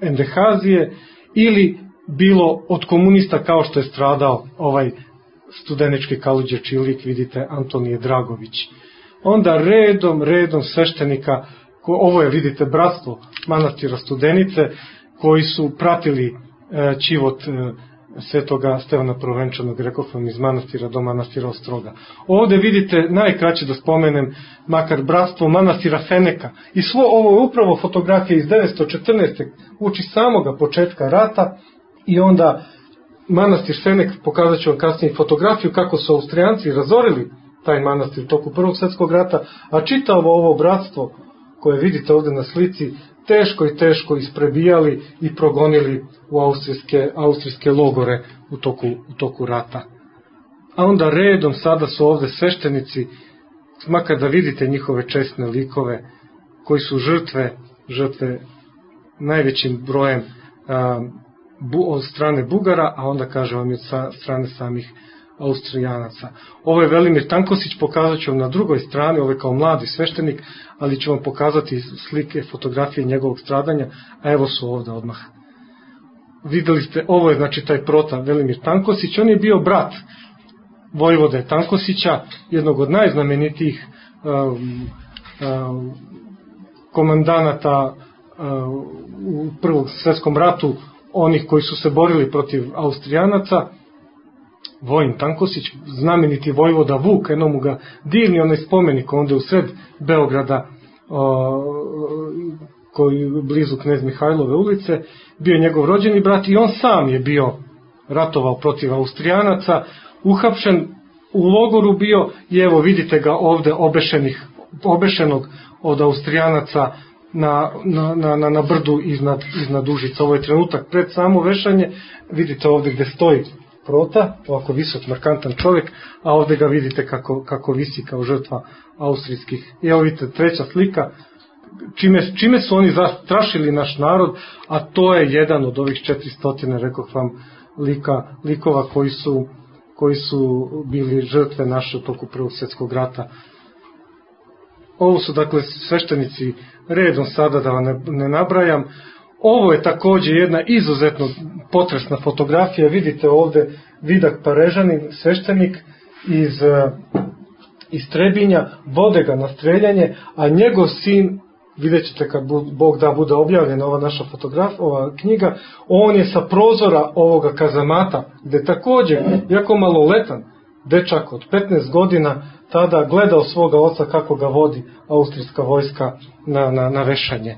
Endehazije, ili bilo od komunista kao što je stradao ovaj studenički kaluđer čiji lik vidite Antonije Dragović. Onda redom sveštenika, ovo je vidite bratstvo manastira Studenice, koji su pratili čivot svetoga Stevana Prvovenčanog, rekao sam, iz manastira do manastira Ostroga. Ovde vidite, najkraće da spomenem, makar bratstvo manastira Feneka. I svo ovo je upravo fotografija iz 1914. uči samoga početka rata, i onda manastir Fenek, pokazat ću vam kasnije fotografiju kako su Austrijanci razorili taj manastir u toku Prvog svjetskog rata, a čitavo ovo bratstvo koje vidite ovde na slici teško isprebijali i progonili u austrijske logore u toku rata. A onda redom sada su ovde sveštenici, makar da vidite njihove česne likove, koji su žrtve najvećim brojem od strane Bugara, a onda kaže vam i od strane samih Austrijanaca. Ovo je Velimir Tankosić, pokazat ću vam na drugoj strani, ovo je kao mladi sveštenik, ali ću vam pokazati slike, fotografije njegovog stradanja, a evo su ovde odmah. Videli ste, ovo je znači taj prota Velimir Tankosić, on je bio brat vojvode Tankosića, jednog od najznamenitijih komandanata u Prvom svjetskom ratu, onih koji su se borili protiv Austrijanaca. Vojin Tankosić, znameniti vojvoda Vuk, eno mu ga divni onaj spomenik onda u sred Beograda, koji blizu Knez Mihajlove ulice, bio njegov rođeni brat, i on sam je bio ratovao protiv Austrijanaca, uhapšen, u logoru bio, i evo vidite ga ovde obešenog od Austrijanaca na brdu iznad Užica. Ovo je trenutak pred samo vešanje, vidite ovde gde stoji prota, ovako visok, markantan čovjek, a ovde ga vidite kako visi kao žrtva austrijskih. I evo vidite treća slika, čime su oni zastrašili naš narod, a to je jedan od ovih 400, rekoh vam, likova koji su bili žrtve naše u toku Prvog svjetskog rata. Ovo su dakle sveštenici redom, sada da vam ne nabrajam. Ovo je također jedna izuzetno potresna fotografija. Vidite ovdje Vidak Parežanin, sveštenik iz Trebinja, vode ga na streljanje, a njegov sin, vidjet ćete kad Bog da bude objavljena ova naša ova knjiga, on je sa prozora ovoga kazamata, gde također, jako maloletan dečak od 15 godina, tada gledao svoga oca kako ga vodi austrijska vojska na vešanje.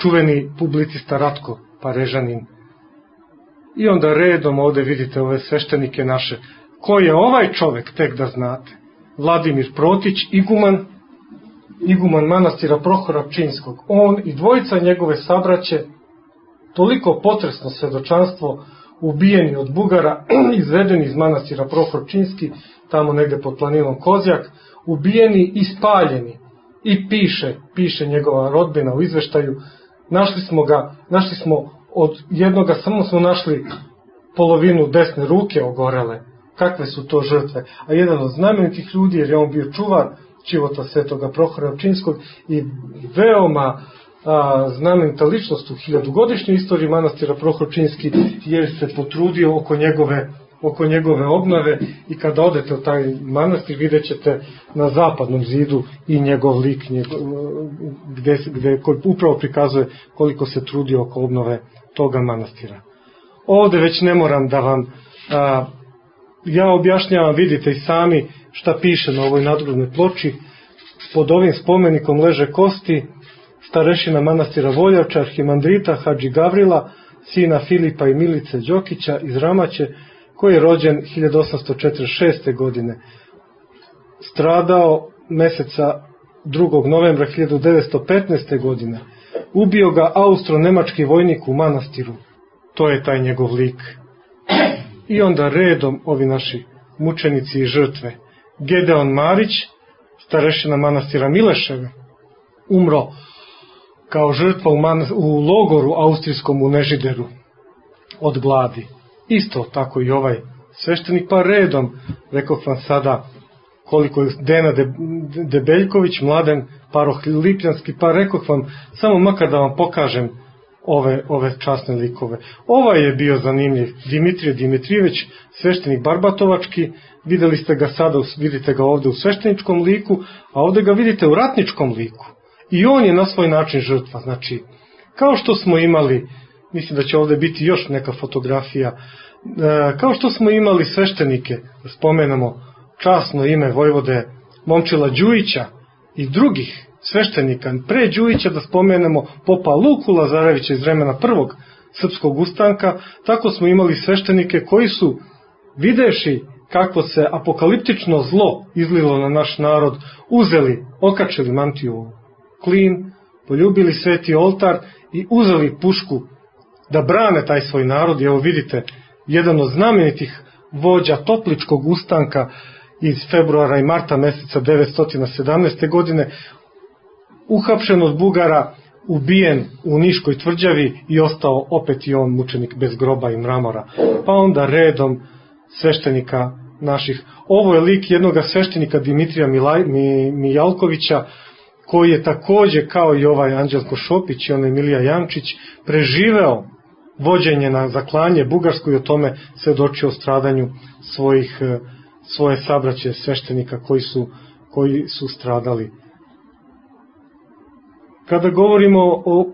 Čuveni publicista Ratko Parežanin. I onda redom ovdje vidite ove sveštenike naše. Ko je ovaj čovek, tek da znate? Vladimir Protić, iguman manastira Prohora Pčinjskog. On i dvojica njegove sabraće, toliko potresno svedočanstvo, ubijeni od Bugara, izvedeni iz manastira Prohor Pčinjski, tamo negde pod planinom Kozjak, ubijeni i spaljeni. I piše njegova rodbina u izveštaju, našli smo od jednoga, samo smo našli polovinu desne ruke ogorele. Kakve su to žrtve? A jedan od znamenitih ljudi, jer je on bio čuvar života svetoga Prohora Pčinjskog i veoma znamenita ličnost u 1000-godišnjoj istoriji manastira Prohor Pčinjski, jer se potrudio oko njegove obnove, i kada odete u taj manastir vidjet ćete na zapadnom zidu i njegov lik, koji upravo prikazuje koliko se trudio oko obnove toga manastira. Ovdje već ne moram da vam ja objašnjavam, vidite i sami šta piše na ovoj nadgrobnoj ploči. Pod ovim spomenikom leže kosti starešina manastira Voljavča, arhimandrita Hadži Gavrila, sina Filipa i Milice Đokića iz Ramaće, koji je rođen 1846. godine. Stradao meseca 2. novembra 1915. godine. Ubio ga austro-nemački vojnik u manastiru. To je taj njegov lik. I onda redom ovi naši mučenici i žrtve. Gedeon Marić, starešina manastira Mileševe, umro kao žrtva u logoru austrijskom u Nežideru od gladi. Isto tako i ovaj sveštenik, pa redom, rekoh vam sada koliko je Dena Debeljković, Mladen Paroh Lipljanski, pa rekoh vam samo makar da vam pokažem ove časne likove. Ovaj je bio zanimljiv, Dimitrije Dimitrijević, sveštenik Barbatovački, videli ste ga sada, vidite ga ovdje u svešteničkom liku, a ovdje ga vidite u ratničkom liku. I on je na svoj način žrtva. Znači, kao što smo imali, mislim da će ovdje biti još neka fotografija, kao što smo imali sveštenike, da spomenemo časno ime vojvode Momčila Đujića i drugih sveštenika, pre Đujića da spomenemo popa Luku Lazarevića iz vremena prvog srpskog ustanka, tako smo imali sveštenike koji su, videši kakvo se apokaliptično zlo izlilo na naš narod, uzeli, okačili mantiju u klin, poljubili sveti oltar i uzeli pušku da brane taj svoj narod. I evo vidite, jedan od znamenitih vođa Topličkog ustanka iz februara i marta meseca 917. godine, uhapšen od Bugara, ubijen u Niškoj tvrđavi i ostao opet i on mučenik bez groba i mramora. Pa onda redom sveštenika naših. Ovo je lik jednoga sveštenika Dimitrija Mijalkovića, koji je također kao i ovaj Anđelko Šopić i onaj Milija Jančić preživeo vođenje na zaklanje bugarsku i o tome svedočio o stradanju svoje sabraće sveštenika koji su stradali. Kada govorimo o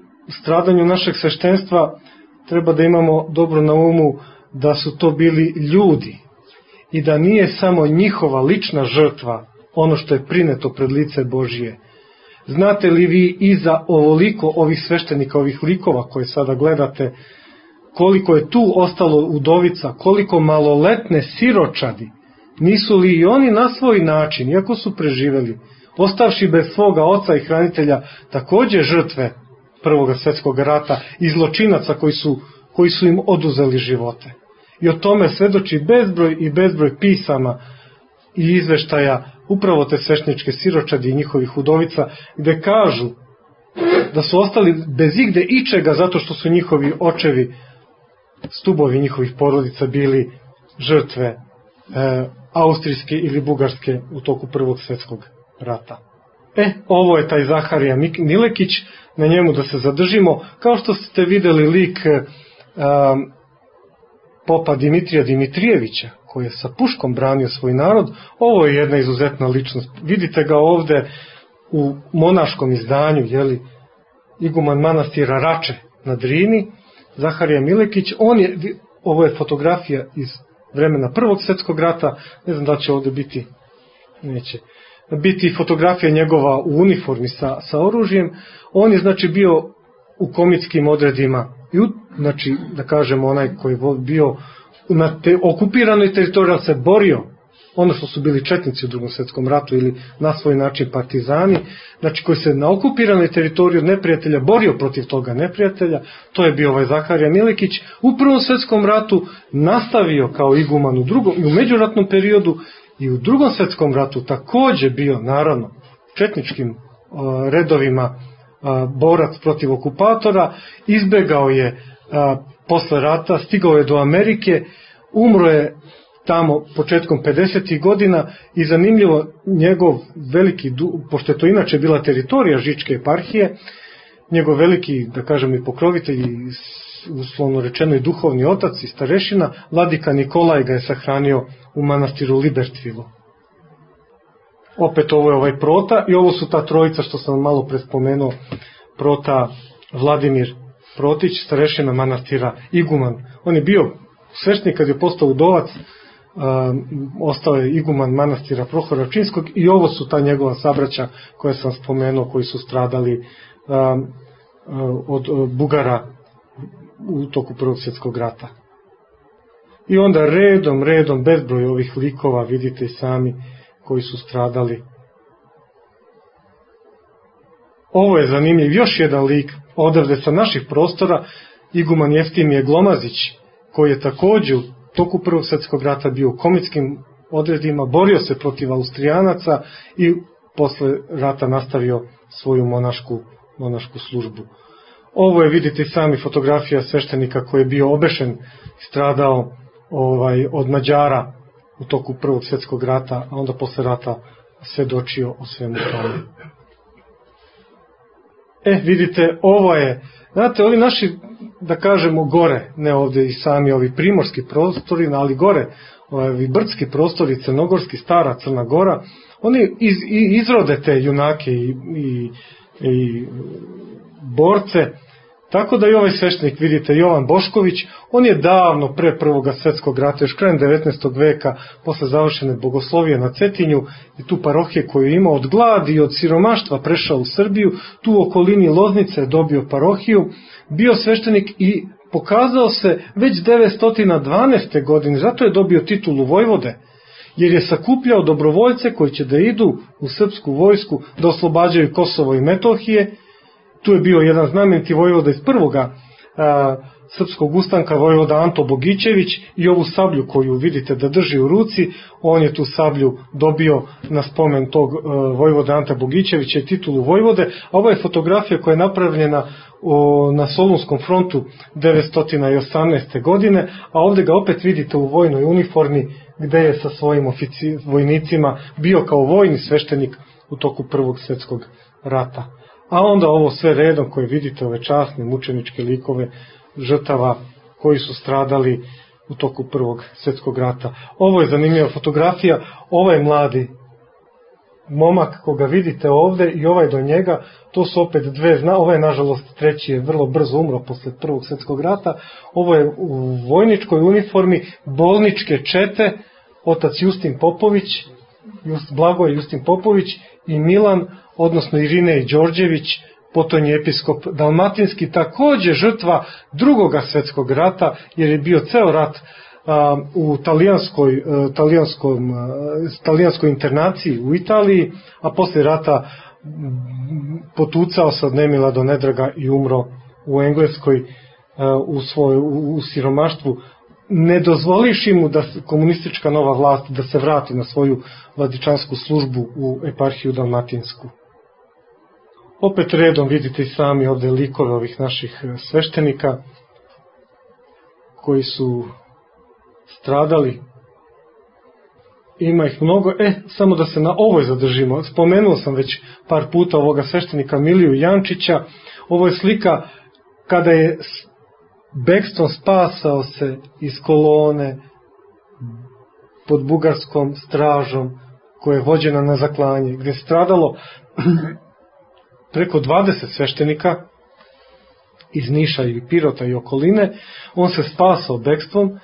stradanju našeg sveštenstva, treba da imamo dobro na umu da su to bili ljudi i da nije samo njihova lična žrtva ono što je prineto pred lice Božije. Znate li vi iza ovoliko ovih sveštenika, ovih likova koje sada gledate, koliko je tu ostalo udovica, koliko maloletne siročadi, nisu li i oni na svoj način, iako su preživeli, ostavši bez svoga oca i hranitelja, također žrtve Prvog svjetskog rata i zločinaca koji su im oduzeli živote. I o tome svedoči bezbroj i bezbroj pisama i izveštaja upravo te svešteničke siročadi i njihovih udovica, gde kažu da su ostali bez igde ičega zato što su njihovi očevi, stubovi njihovih porodica bili žrtve austrijske ili bugarske u toku Prvog svjetskog rata. Ovo je taj Zaharija Milekić, na njemu da se zadržimo. Kao što ste videli lik popa Dimitrija Dimitrijevića, koji je sa puškom branio svoj narod, ovo je jedna izuzetna ličnost. Vidite ga ovde u monaškom izdanju, iguman manastira Rače na Drini, Zaharija Milekić. Ovo je fotografija iz vremena Prvog svjetskog rata, ne znam da će ovde biti, neće biti fotografija njegova u uniformi sa oružjem. On je znači bio u komitskim odredima, znači da kažemo onaj koji je bio na okupiranoj teritoriji, ali se borio, ono što su bili četnici u Drugom svjetskom ratu ili na svoj način partizani, znači koji se na okupiranoj teritoriji od neprijatelja borio protiv toga neprijatelja, to je bio ovaj Zaharija Milekić. U Prvom svjetskom ratu nastavio kao iguman i u međuratnom periodu i u Drugom svjetskom ratu takođe bio, naravno, četničkim redovima borac protiv okupatora, izbegao je posle rata, stigao je do Amerike, umro je tamo početkom 50. godina i zanimljivo njegov veliki, pošto je to inače bila teritorija Žičke eparhije, njegov veliki, da kažem i pokrovitelj, uslovno rečeno i duhovni otac i starešina, vladika Nikolaj ga je sahranio u manastiru Libertvilu. Opet ovo je ovaj Prota i ovo su ta trojica što sam malo pre spomenuo, Prota Vladimir Protić, starešina manastira Iguman. On je bio sveštenik kad je postao udovac, ostao je iguman manastira Prohora Činskog i ovo su ta njegova sabraća koje sam spomenuo, koji su stradali od Bugara u toku Prvog svjetskog rata. I onda redom, bezbroj ovih likova, vidite i sami, koji su stradali. Ovo je zanimljiv, još jedan lik, odavde sa naših prostora, iguman Jeftimije Glomazić, koji je takođe u toku Prvog svjetskog rata bio u komitskim odredima, borio se protiv Austrijanaca i posle rata nastavio svoju monašku službu. Ovo je, vidite sami, fotografija sveštenika koji je bio obešen, stradao od Mađara u toku Prvog svjetskog rata, a onda posle rata svedočio o svemu tome. Vidite, ovo je, znate, ovi naši, da kažemo, gore, ne ovde i sami ovi primorski prostori, ali gore, ovi brdski prostori, crnogorski, stara Crna Gora, oni izrode te junake i borce, tako da i ovaj sveštenik, vidite, Jovan Bošković, on je davno pre Prvog svjetskog rata, još krajem 19. veka, posle završene bogoslovije na Cetinju i tu parohije koju je imao, od gladi i od siromaštva prešao u Srbiju, tu u okolini Loznice je dobio parohiju, bio sveštenik i pokazao se već 912. godine, zato je dobio titulu vojvode, jer je sakupljao dobrovoljce koji će da idu u srpsku vojsku da oslobađaju Kosovo i Metohije. Tu je bio jedan znameniti vojvoda iz prvoga srpskog ustanka, vojvoda Anto Bogićević, i ovu sablju koju vidite da drži u ruci, on je tu sablju dobio na spomen tog vojvoda Anta Bogićevića i titulu vojvode, a ovo je fotografija koja je napravljena na Solunskom frontu 918. godine, a ovde ga opet vidite u vojnoj uniformi gde je sa svojim vojnicima bio kao vojni sveštenik u toku Prvog svjetskog rata. A onda ovo sve redom koje vidite, ove časne mučeničke likove žrtava koji su stradali u toku Prvog svjetskog rata. Ovo je zanimljiva fotografija, ovaj mladi momak koga vidite ovde i ovaj do njega, to su opet dve, ovaj nažalost treći je vrlo brzo umro posle Prvog svjetskog rata, ovo je u vojničkoj uniformi bolničke čete, otac Justin Popović, Blagoj Justin Popović i Milan, odnosno Irinej Đorđević, potonji episkop dalmatinski, takođe žrtva Drugoga svjetskog rata, jer je bio ceo rat u talijanskoj internaciji u Italiji, a posle rata potucao se od nemila do nedraga i umro u Engleskoj u siromaštvu. ne dozvoliš mu da komunistička nova vlast da se vrati na svoju vladičansku službu u eparhiju Dalmatinsku. Opet redom vidite i sami ovde likove ovih naših sveštenika koji su stradali. Ima ih mnogo. Samo da se na ovoj zadržimo. Spomenuo sam već par puta ovoga sveštenika Miliju Jančića. Ovo je slika kada je bekstvom spasao se iz kolone pod bugarskom stražom koja je vođena na zaklanje, gde je stradalo preko 20 sveštenika iz Niša i Pirota i okoline. On se spasao bekstvom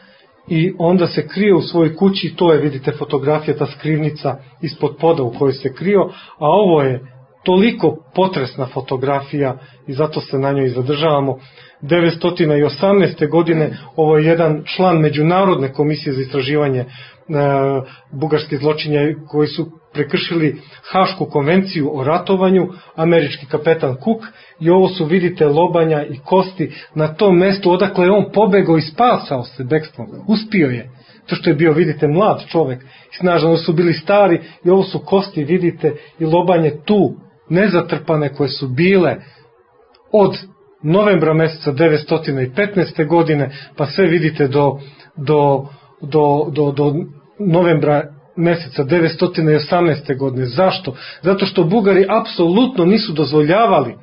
i onda se krio u svojoj kući. To je, vidite, fotografija, ta skrivnica ispod poda u kojoj se krio, a ovo je toliko potresna fotografija i zato se na njoj zadržavamo. 1918. godine ovo je jedan član Međunarodne komisije za istraživanje bugarskih zločinja koji su prekršili Hašku konvenciju o ratovanju, američki kapetan Cook, i ovo su, vidite, lobanja i kosti na tom mestu odakle je on pobegao i spasao se bekstvom. Uspio je. To što je bio, vidite, mlad čovek i snažan, ovo su bili stari i ovo su kosti, vidite, i lobanje tu, nezatrpane, koje su bile od novembra meseca 1915. godine, pa sve vidite do novembra meseca 1918. godine. Zašto? Zato što Bugari apsolutno nisu dozvoljavali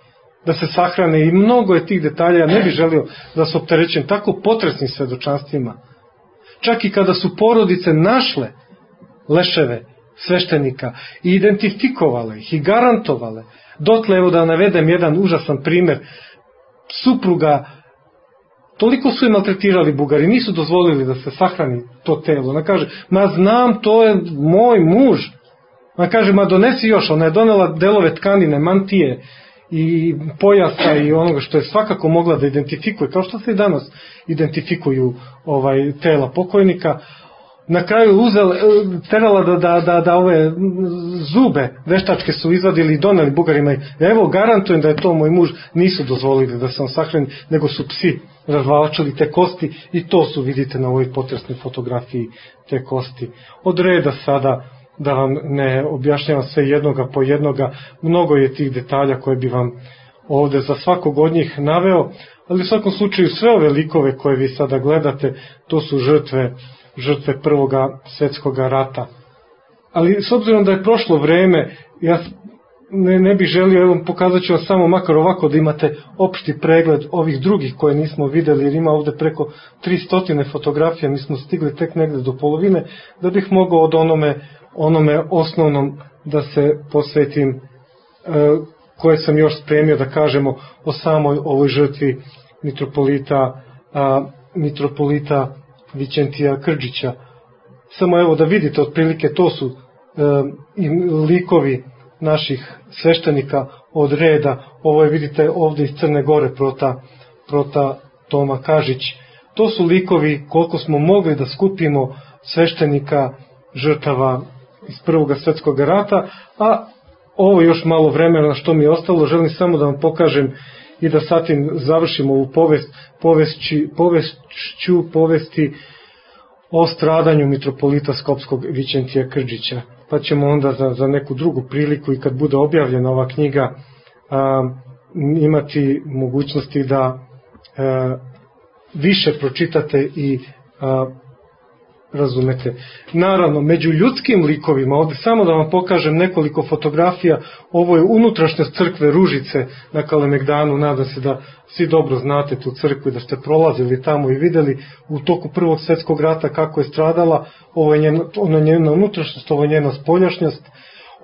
da se sahrane i mnogo je tih detalja, ja ne bih želio da se opterećem tako potresnim svedočanstvima. Čak i kada su porodice našle leševe sveštenika i identifikovale ih i garantovale, dotle, evo da navedem jedan užasan primer, supruga, toliko su je maltretirali Bugari, nisu dozvolili da se sahrani to telo. Ona kaže, ma znam, to je moj muž. Ona kaže, ma donesi još. Ona je donela delove tkanine, mantije i pojasa i onoga što je svakako mogla da identifikuje, kao što se i danas identifikuju tela pokojnika. Na kraju terala da ove zube veštačke su izvadili i doneli Bugarima. Evo, garantujem da je to moj muž. Nisu dozvolili da se on sahrani, nego su psi razvlačili te kosti i to su, vidite, na ovoj potresnoj fotografiji te kosti. Od reda sada da vam ne objašnjavam sve jednoga po jednoga, mnogo je tih detalja koje bi vam ovde za svakog od njih naveo, ali u svakom slučaju sve ove likove koje vi sada gledate, to su žrtve Prvoga svetskog rata. Ali s obzirom da je prošlo vreme, ja ne bih želio, evo pokazat ću vam samo makar ovako da imate opšti pregled ovih drugih koje nismo videli, jer ima ovde preko 300 fotografija, mi smo stigli tek negde do polovine, da bih mogao od onome osnovnom da se posvetim, koje sam još spremio da kažemo o samoj ovoj žrtvi mitropolita Vićentija Krđića. Samo evo da vidite otprilike, to su likovi naših sveštenika od reda. Ovo je, vidite, ovde iz Crne Gore prota Toma Kažić. To su likovi koliko smo mogli da skupimo sveštenika žrtava iz Prvog svetskog rata, a ovo još malo vremena što mi je ostalo, želim samo da vam pokažem i da sa tim završimo ovu povesti o stradanju mitropolita Skopskog Vićentija Krđića. Pa ćemo onda za neku drugu priliku i kad bude objavljena ova knjiga imati mogućnosti da više pročitate i razumete. Naravno, među ljudskim likovima, ovde samo da vam pokažem nekoliko fotografija, ovo je unutrašnjost crkve Ružice na Kalemegdanu, nadam se da svi dobro znate tu crkvu i da ste prolazili tamo i videli u toku Prvog svetskog rata kako je stradala. Ovo je njena unutrašnjost, ovo je njena spoljašnjost.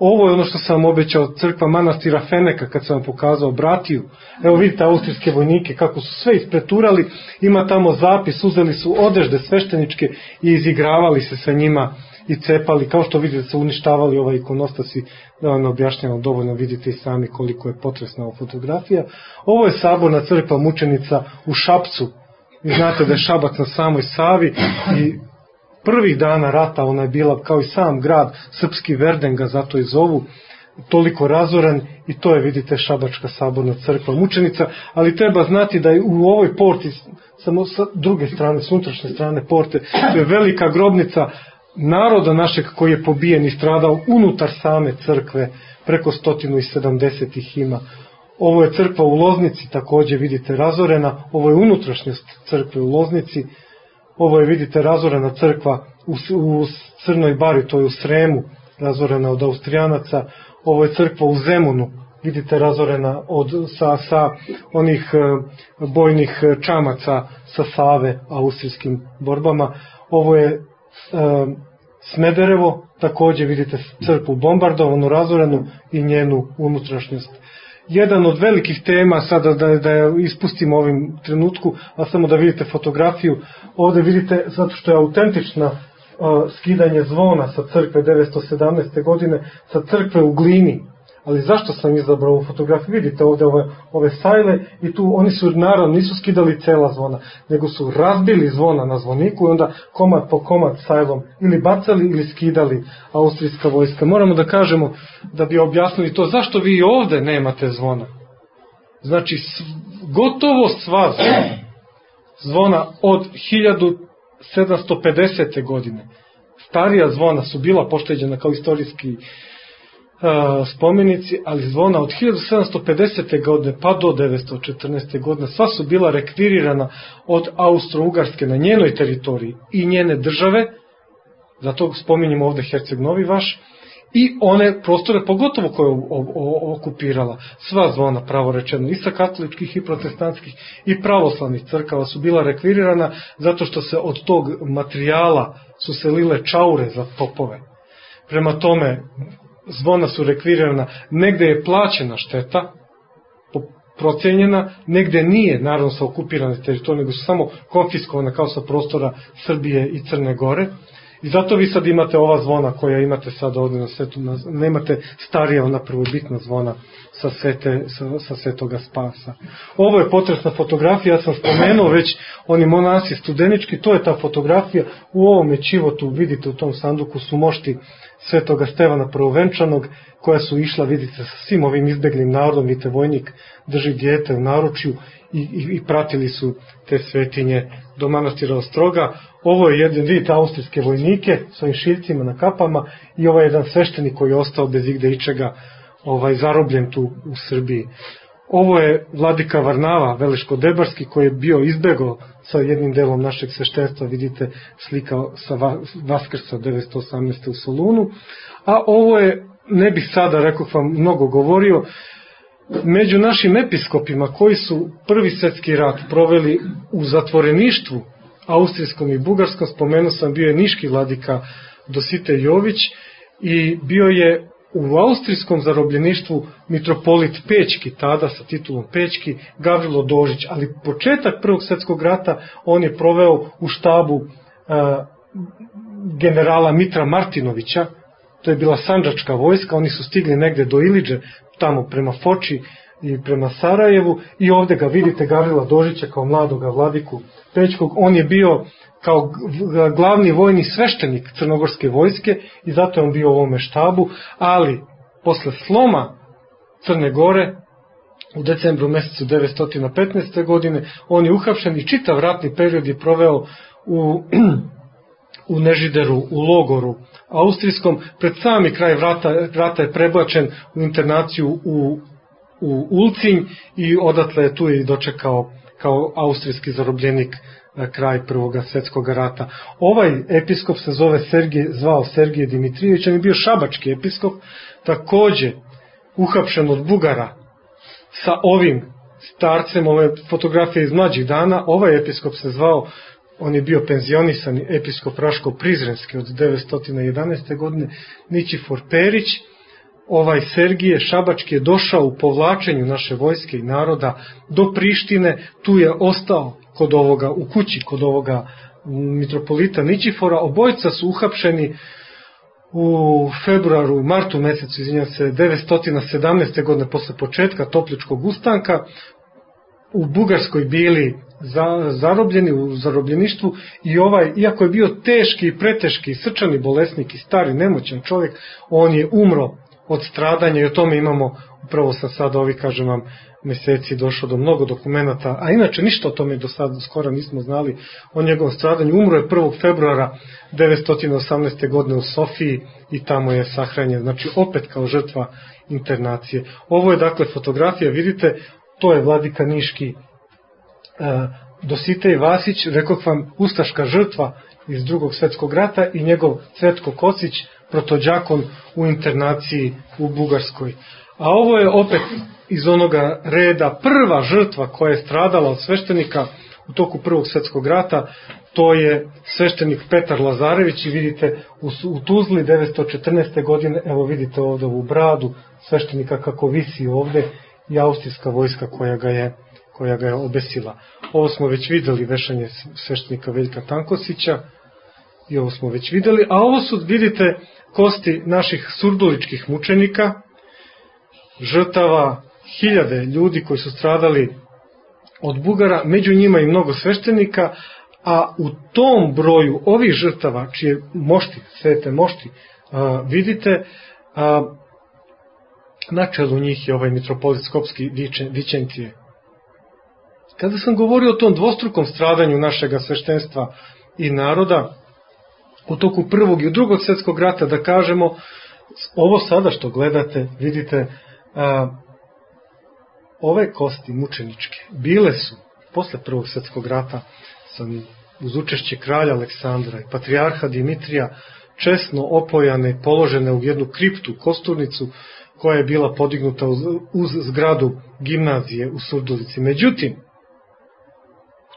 Ovo je ono što sam obećao, crkva manastira Feneka, kad sam vam pokazao Bratiju. Evo vidite austrijske vojnike kako su sve ispreturali, ima tamo zapis, uzeli su odežde svešteničke i izigravali se sa njima i cepali, kao što vidite su uništavali ovaj ikonostas i da vam objašnjavam dovoljno, vidite i sami koliko je potresna ova fotografija. Ovo je saborna crkva mučenica u Šapcu, vi znate da je Šabac na samoj Savi i prvih dana rata ona je bila, kao i sam grad, srpski Verden ga zato i zovu, toliko razoran, i to je, vidite, Šabačka saborna crkva mučenica, ali treba znati da je u ovoj porti, samo sa druge strane, s unutrašnje strane porte, to je velika grobnica naroda našeg koji je pobijen i stradao unutar same crkve, preko 170 ih ima. Ovo je crkva u Loznici, također vidite razorena, ovo je unutrašnjost crkve u Loznici, ovo je, vidite, razorena crkva u Crnoj Bari, to je u Sremu, razorena od Austrijanaca, ovo je crkva u Zemunu, vidite, razorena sa onih bojnih čamaca sa Save, austrijskim borbama. Ovo je Smederevo, također vidite crkvu bombardovanu, razorenu i njenu unutrašnjost. Jedan od velikih tema, sada da je ispustimo u ovim trenutku, a samo da vidite fotografiju, ovdje vidite, zato što je autentična, skidanje zvona sa crkve 917. godine, sa crkve u Glini. Ali zašto sam izabrao ovu fotografiju? Vidite ovdje ove sajle, i tu oni su, naravno, nisu skidali cela zvona, nego su razbili zvona na zvoniku i onda komad po komad sajlom ili bacali ili skidali austrijska vojska. Moramo da kažemo, da bi objasnili to, zašto vi ovdje nemate zvona. Znači, gotovo sva zvona od 1750. godine, starija zvona su bila pošteđena kao istorijski spomenici, ali zvona od 1750. godine pa do 914. godine sva su bila rekvirirana od Austro-Ugarske na njenoj teritoriji i njene države, zato spominjemo ovdje Herceg Novi Vaš, i one prostore pogotovo koje je okupirala. Sva zvona, pravo rečeno, i sa katoličkih i protestantskih i pravoslavnih crkava su bila rekvirirana, zato što se od tog materijala su se lile čaure za topove. Prema tome, zvona su rekvirirana, negde je plaćena šteta, procenjena, negde nije, naravno sa okupirane teritorije, nego su samo konfiskovane kao sa prostora Srbije i Crne Gore. I zato vi sad imate ova zvona koja imate sad ovdje na svetu, nemate starija, ona prvobitna zvona sa Svetoga Spasa. Ovo je potresna fotografija, ja sam spomenuo već oni monasi studenički, to je ta fotografija. U ovome čivotu, vidite, u tom sanduku su mošti Svetoga Stevana Prvovenčanog, koja su išla, vidite, sa svim ovim izbeglim narodom, vidite, vojnik drži dijete u naručju i pratili su te svetinje do manastira Ostroga. Ovo je jedan, vidite, austrijske vojnike s ovim šiljcima na kapama, i ovaj jedan sveštenik koji je ostao bez igde ičega, zarobljen tu u Srbiji. Ovo je vladika Varnava, Veleško-Debarski, koji je bio izbegao sa jednim delom našeg sveštenstva, vidite slika sa Vaskrsa 918. u Solunu. A ovo je, ne bih sada, rekao vam, mnogo govorio, među našim episkopima koji su Prvi svjetski rat proveli u zatvoreništvu austrijskom i bugarskom, spomenuo sam, bio je niški vladika Dositej Jović i bio je u austrijskom zarobljeništvu mitropolit Pećki, tada sa titulom Pećki, Gavrilo Dožić, ali početak Prvog svjetskog rata on je proveo u štabu generala Mitra Martinovića. To je bila sandžačka vojska, oni su stigli negde do Iliđe, tamo prema Foči i prema Sarajevu, i ovdje ga vidite, Gavrila Dožića kao mladoga vladiku Pećkog. On je bio kao glavni vojni sveštenik crnogorske vojske i zato je on bio u ovome štabu, ali posle sloma Crne Gore u decembru mesecu 915. godine on je uhapšen i čitav ratni period je proveo u Nežideru, u logoru austrijskom. Pred sami kraj rata je prebačen u internaciju u Ulcinj i odatle je tu i dočekao kao austrijski zarobljenik kraj Prvog svjetskog rata. Ovaj episkop se zvao Sergije Dimitrijević, on je bio šabački episkop, također uhapšen od Bugara sa ovim starcem, ove fotografije iz mlađih dana. Ovaj episkop se zvao, on je bio penzionisani episkop Raško-Prizrenski od 911. godine, Ničifor Perić. Ovaj Sergije šabački je došao u povlačenju naše vojske i naroda do Prištine, tu je ostao u kući kod ovoga mitropolita Ničifora. Obojica su uhapšeni u martu mesecu 917. godine posle početka Topličkog ustanka, u Bugarskoj bili zarobljeni u zarobljeništvu, i ovaj, iako je bio teški i preteški srčani bolesnik i stari nemoćan čovjek, on je umro od stradanja i o tome imamo, upravo sam sada kažem vam, meseci došao do mnogo dokumenata, a inače ništa o tome do sada skoro nismo znali o njegovom stradanju. Umro je 1. februara 918. godine u Sofiji i tamo je sahranjen, znači opet kao žrtva internacije. Ovo je dakle fotografija, vidite, to je vladika niški Dositej Vasić, rekoh vam, ustaška žrtva iz Drugog svjetskog rata i njegov Cvetko Kocić, protođakon u internaciji u Bugarskoj. A ovo je opet iz onoga reda prva žrtva koja je stradala od sveštenika u toku Prvog svjetskog rata, to je sveštenik Petar Lazarević i vidite u Tuzli 914. godine, evo vidite ovdje ovu bradu sveštenika kako visi ovdje i austrijska vojska koja ga je obesila. Ovo smo već videli, vešanje sveštenika Veljka Tankosića i ovo smo već videli, a ovo su, vidite, kosti naših surduličkih mučenika, žrtava, hiljade ljudi koji su stradali od Bugara, među njima i mnogo sveštenika, a u tom broju ovih žrtava, čije mošti, svete mošti, vidite, na čelu njih je ovaj mitropolit Skopski Vičentije. Kada sam govorio o tom dvostrukom stradanju našega sveštenstva i naroda, u toku Prvog i Drugog svjetskog rata, da kažemo, ovo sada što gledate, vidite, ove kosti mučeničke bile su posle Prvog svjetskog rata uz učešće kralja Aleksandra i patrijarha Dimitrija česno opojane i položene u jednu kriptu, kosturnicu koja je bila podignuta uz zgradu gimnazije u Surdulici. Međutim,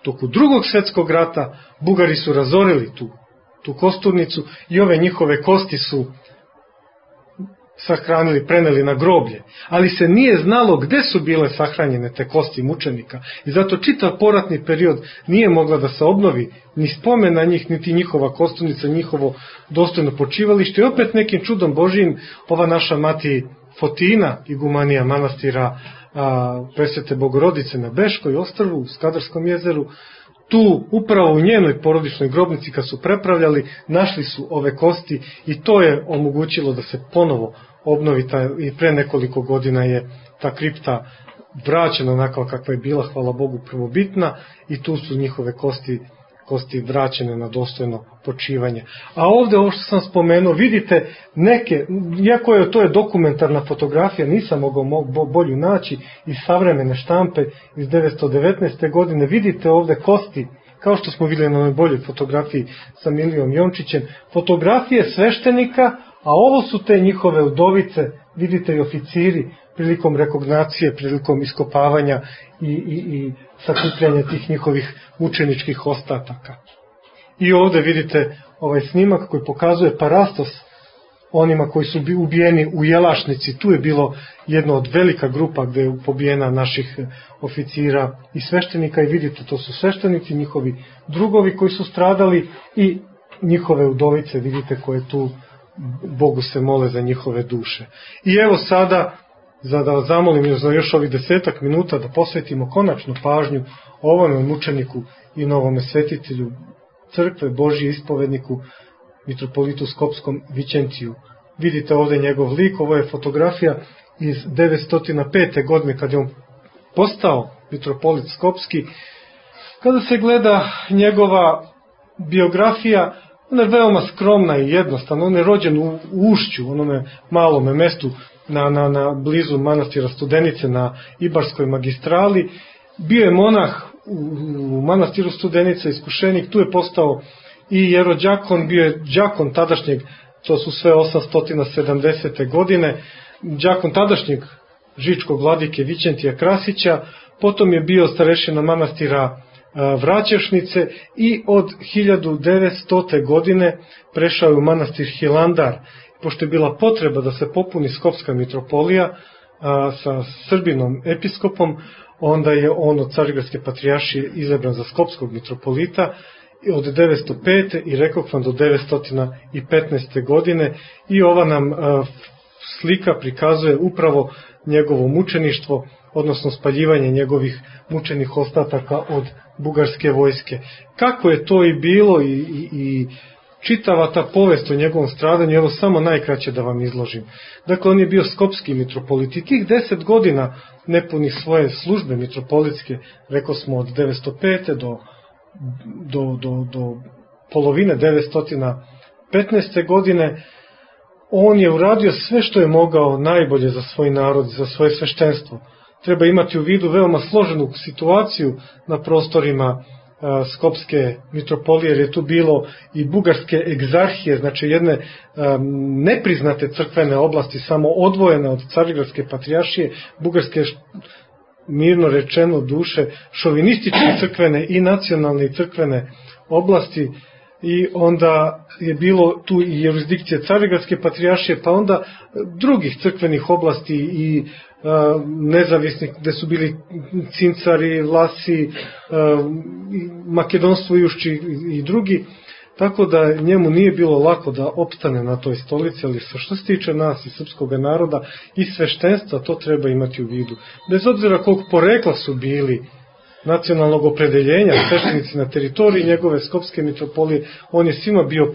u toku Drugog svjetskog rata Bugari su razorili tu kosturnicu i ove njihove kosti su sahranili, preneli na groblje, ali se nije znalo gde su bile sahranjene te kosti mučenika i zato čitav poratni period nije mogla da se obnovi ni spomen na njih, niti njihova kosturnica, njihovo dostojno počivalište i opet nekim čudom Božijim ova naša mati Fotina, igumanija manastira Presvete Bogorodice na Beškoj ostrvu u Skadarskom jezeru, tu upravo u njenoj porodičnoj grobnici kad su prepravljali, našli su ove kosti i to je omogućilo da se ponovo obnovi i pre nekoliko godina je ta kripta vraćena onako kakva je bila, hvala Bogu, prvobitna i tu su njihove kosti vraćene na dostojno počivanje. A ovdje ovo što sam spomenuo, vidite neke, iako to je dokumentarna fotografija, nisam mogao bolju naći iz savremene štampe iz 1919. godine, vidite ovdje kosti, kao što smo vidjeli na onoj boljoj fotografiji sa Milijom Jončićem, fotografije sveštenika, a ovo su te njihove udovice, vidite i oficiri prilikom rekognacije, prilikom iskopavanja i sakupljanja tih njihovih mučeničkih ostataka. I ovdje vidite ovaj snimak koji pokazuje parastos onima koji su ubijeni u Jelašnici. Tu je bilo jedno od velika grupa gde je pobijena naših oficira i sveštenika i vidite, to su sveštenici, njihovi drugovi koji su stradali i njihove udovice, vidite, koje tu Bogu se mole za njihove duše. I evo sada, da vas zamolim za još ovih 10 minuta da posvetimo konačnu pažnju ovome mučeniku i novome svetitelju crkve Božije ispovedniku mitropolitu Skopskom Vičentiju. Vidite ovdje njegov lik, ovo je fotografija iz 905. godine kad je on postao mitropolit Skopski. Kada se gleda njegova biografija, ona je veoma skromna i jednostavna. On je rođen u Ušću, onome malome mestu na blizu manastira Studenice na Ibarskoj magistrali. Bio je monah u manastiru Studenica, iskušenik, tu je postao i jerođakon, bio je đakon tadašnjeg, to su sve 870. godine, đakon tadašnjeg žičkog vladike Vičentija Krasića, potom je bio starešina manastira Vraćešnice i od 1900. godine prešao je u manastir Hilandar. Pošto je bila potreba da se popuni Skopska mitropolija sa Srbinom episkopom, onda je on od Carigradske patrijaršije izabran za Skopskog mitropolita od 905. i rekao vam do 915. godine i ova nam slika prikazuje upravo njegovo mučeništvo, odnosno spaljivanje njegovih mučenih ostataka od bugarske vojske. Kako je to i bilo i čitava ta povest o njegovom stradanju, evo samo najkraće da vam izložim. Dakle, on je bio skopski mitropolit i tih 10 godina nepunih svoje službe mitropolitske, rekao smo od 905. do polovine 915. godine, on je uradio sve što je mogao najbolje za svoj narod, za svoje sveštenstvo. Treba imati u vidu veoma složenu situaciju na prostorima Skopske mitropolije, jer je tu bilo i bugarske egzarhije, znači jedne nepriznate crkvene oblasti, samo odvojene od Carigradske patrijaršije, bugarske, mirno rečeno duše, šovinističke crkvene i nacionalne i crkvene oblasti, i onda je bilo tu i jurisdikcije Carigradske patrijaršije, pa onda drugih crkvenih oblasti i nezavisnih, gde su bili Cincari, Vlasi, Makedonstvo, Jušči i drugi, tako da njemu nije bilo lako da opstane na toj stolici, ali što se tiče nas i srpskog naroda i sveštenstva, to treba imati u vidu. Bez obzira koliko porekla su bili nacionalnog opredeljenja sveštenici na teritoriji njegove Skopske mitropolije, on je svima bio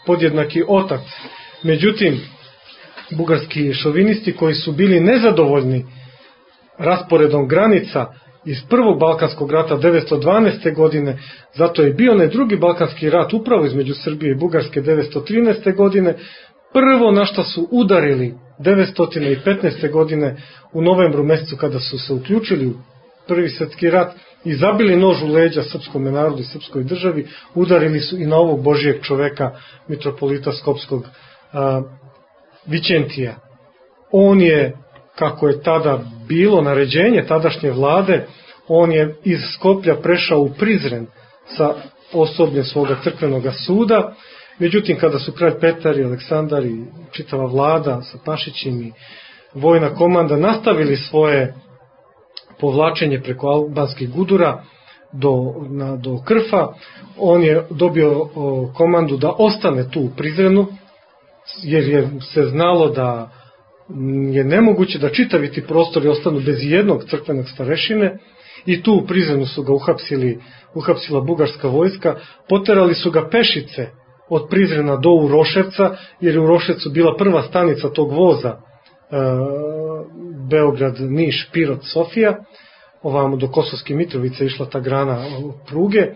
podjednaki otac. Međutim, bugarski šovinisti koji su bili nezadovoljni rasporedom granica iz prvog Balkanskog rata 912. godine, zato je bio onaj drugi Balkanski rat upravo između Srbije i Bugarske 913. godine, prvo na što su udarili 915. godine u novembru mesecu kada su se uključili u Prvi svjetski rat i zabili nož u leđa srpskom narodu i srpskoj državi, udarili su i na ovog Božijeg čoveka, mitropolita Skopskog Vićentija. On je, kako je tada bilo naređenje tadašnje vlade, on je iz Skoplja prešao u Prizren sa osobljem svoga crkvenog suda. Međutim, kada su kralj Petar i Aleksandar i čitava vlada sa Pašićim i vojna komanda nastavili svoje povlačenje preko albanskih gudura do Krfa, on je dobio komandu da ostane tu u Prizrenu, jer je se znalo da je nemoguće da čitavi ti prostori ostanu bez jednog crkvenog starešine, i tu u Prizrenu su ga uhapsila bugarska vojska, poterali su ga pešice od Prizrena do Uroševca, jer je u Uroševcu bila prva stanica tog voza Beograd, Niš, Pirot, Sofija, ovamo do Kosovske Mitrovice išla ta grana pruge.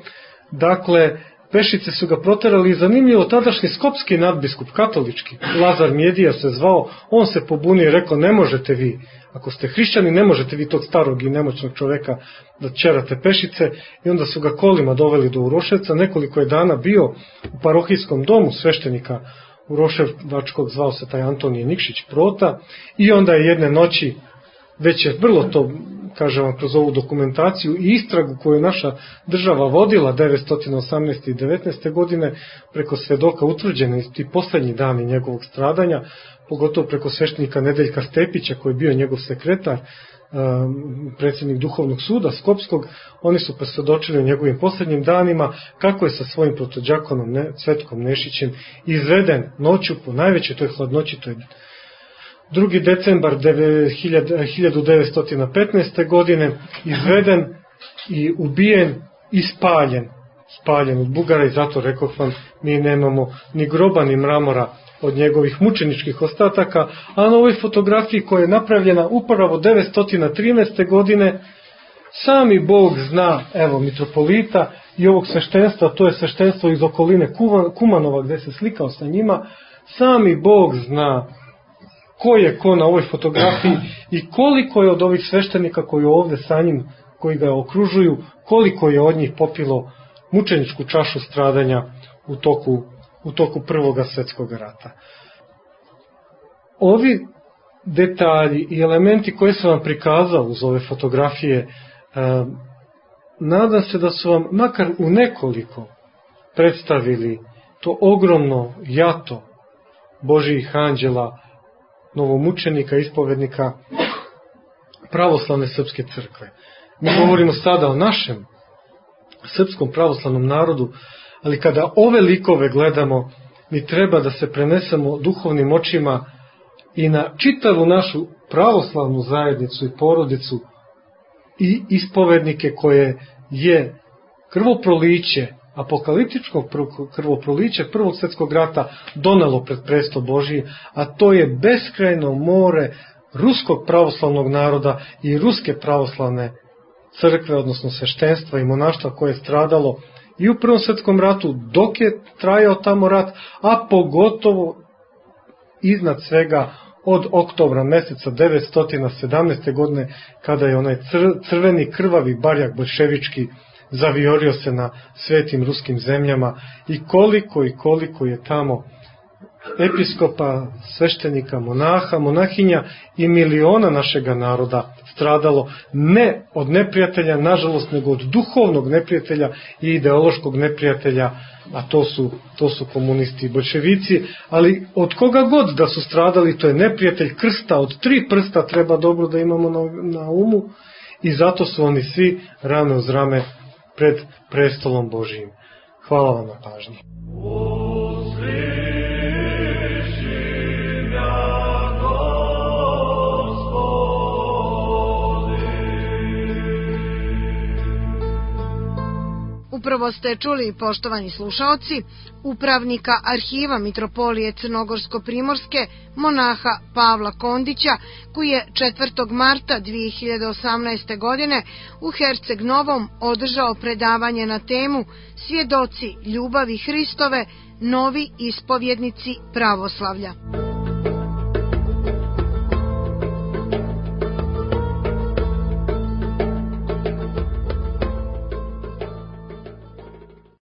Dakle, pešice su ga proterali i zanimljivo, tadašnji skopski nadbiskup, katolički, Lazar Mjedija se zvao, on se pobunio i rekao, ne možete vi, ako ste hrišćani, ne možete vi tog starog i nemoćnog čoveka da ćerate pešice, i onda su ga kolima doveli do Uroševca. Nekoliko je dana bio u parohijskom domu sveštenika Uroševačkog, zvao se taj Antonije Nikšić Prota, i onda je jedne noći, već je vrlo to, kažem vam, kroz ovu dokumentaciju i istragu koju je naša država vodila 918. i 19. godine, preko svedoka utvrđene ti poslednji dani njegovog stradanja, pogotovo preko sveštenika Nedeljka Stepića, koji je bio njegov sekretar, predsjednik duhovnog suda Skopskog. Oni su posvedočili u njegovim poslednjim danima kako je sa svojim protođakonom Cvetkom Nešićem izveden noću po najvećoj toj hladnoći, to je 2. decembar 1915. godine, izveden i ubijen i spaljen od Bugara, i zato rekoh vam, mi nemamo ni groba ni mramora od njegovih mučeničkih ostataka, a na ovoj fotografiji koja je napravljena upravo 913. godine, sami Bog zna, evo, mitropolita i ovog sveštenstva, to je sveštenstvo iz okoline Kumanova gde se slikao sa njima, sami Bog zna ko je ko na ovoj fotografiji i koliko je od ovih sveštenika koji ovde sa njim, koji ga okružuju, koliko je od njih popilo mučeničku čašu stradanja u toku Prvog svjetskog rata. Ovi detalji i elementi koje sam vam prikazao uz ove fotografije, nadam se da su vam makar u nekoliko predstavili to ogromno jato Božijih anđela, novomučenika, ispovednika pravoslavne srpske crkve. Mi govorimo sada o našem srpskom pravoslavnom narodu, ali kada ove likove gledamo, mi treba da se prenesemo duhovnim očima i na čitavu našu pravoslavnu zajednicu i porodicu i ispovednike koje je krvoproliće apokaliptičkog krvoprolića Prvog svjetskog rata donelo pred presto Božji, a to je beskrajno more ruskog pravoslavnog naroda i ruske pravoslavne crkve, odnosno sveštenstva i monaštva koje je stradalo i u Prvom svjetskom ratu dok je trajao tamo rat, a pogotovo iznad svega od oktobra meseca 1917. godine, kada je onaj crveni krvavi barjak boljševički zaviorio se na svetim ruskim zemljama i koliko je tamo episkopa, sveštenika, monaha, monahinja i miliona našega naroda stradalo, ne od neprijatelja, nažalost, nego od duhovnog neprijatelja i ideološkog neprijatelja, a to su komunisti i boljševici, ali od koga god da su stradali, to je neprijatelj krsta, od 3 prsta treba dobro da imamo na umu, i zato su oni svi rame uz rame pred prestolom Božijim. Hvala vam na pažnji. Upravo ste čuli, poštovani slušaoci, upravnika Arhiva Mitropolije Crnogorsko-Primorske, monaha Pavla Kondića, koji je 4. marta 2018. godine u Herceg Novom održao predavanje na temu Svjedoci ljubavi Hristove, novi ispovjednici pravoslavlja.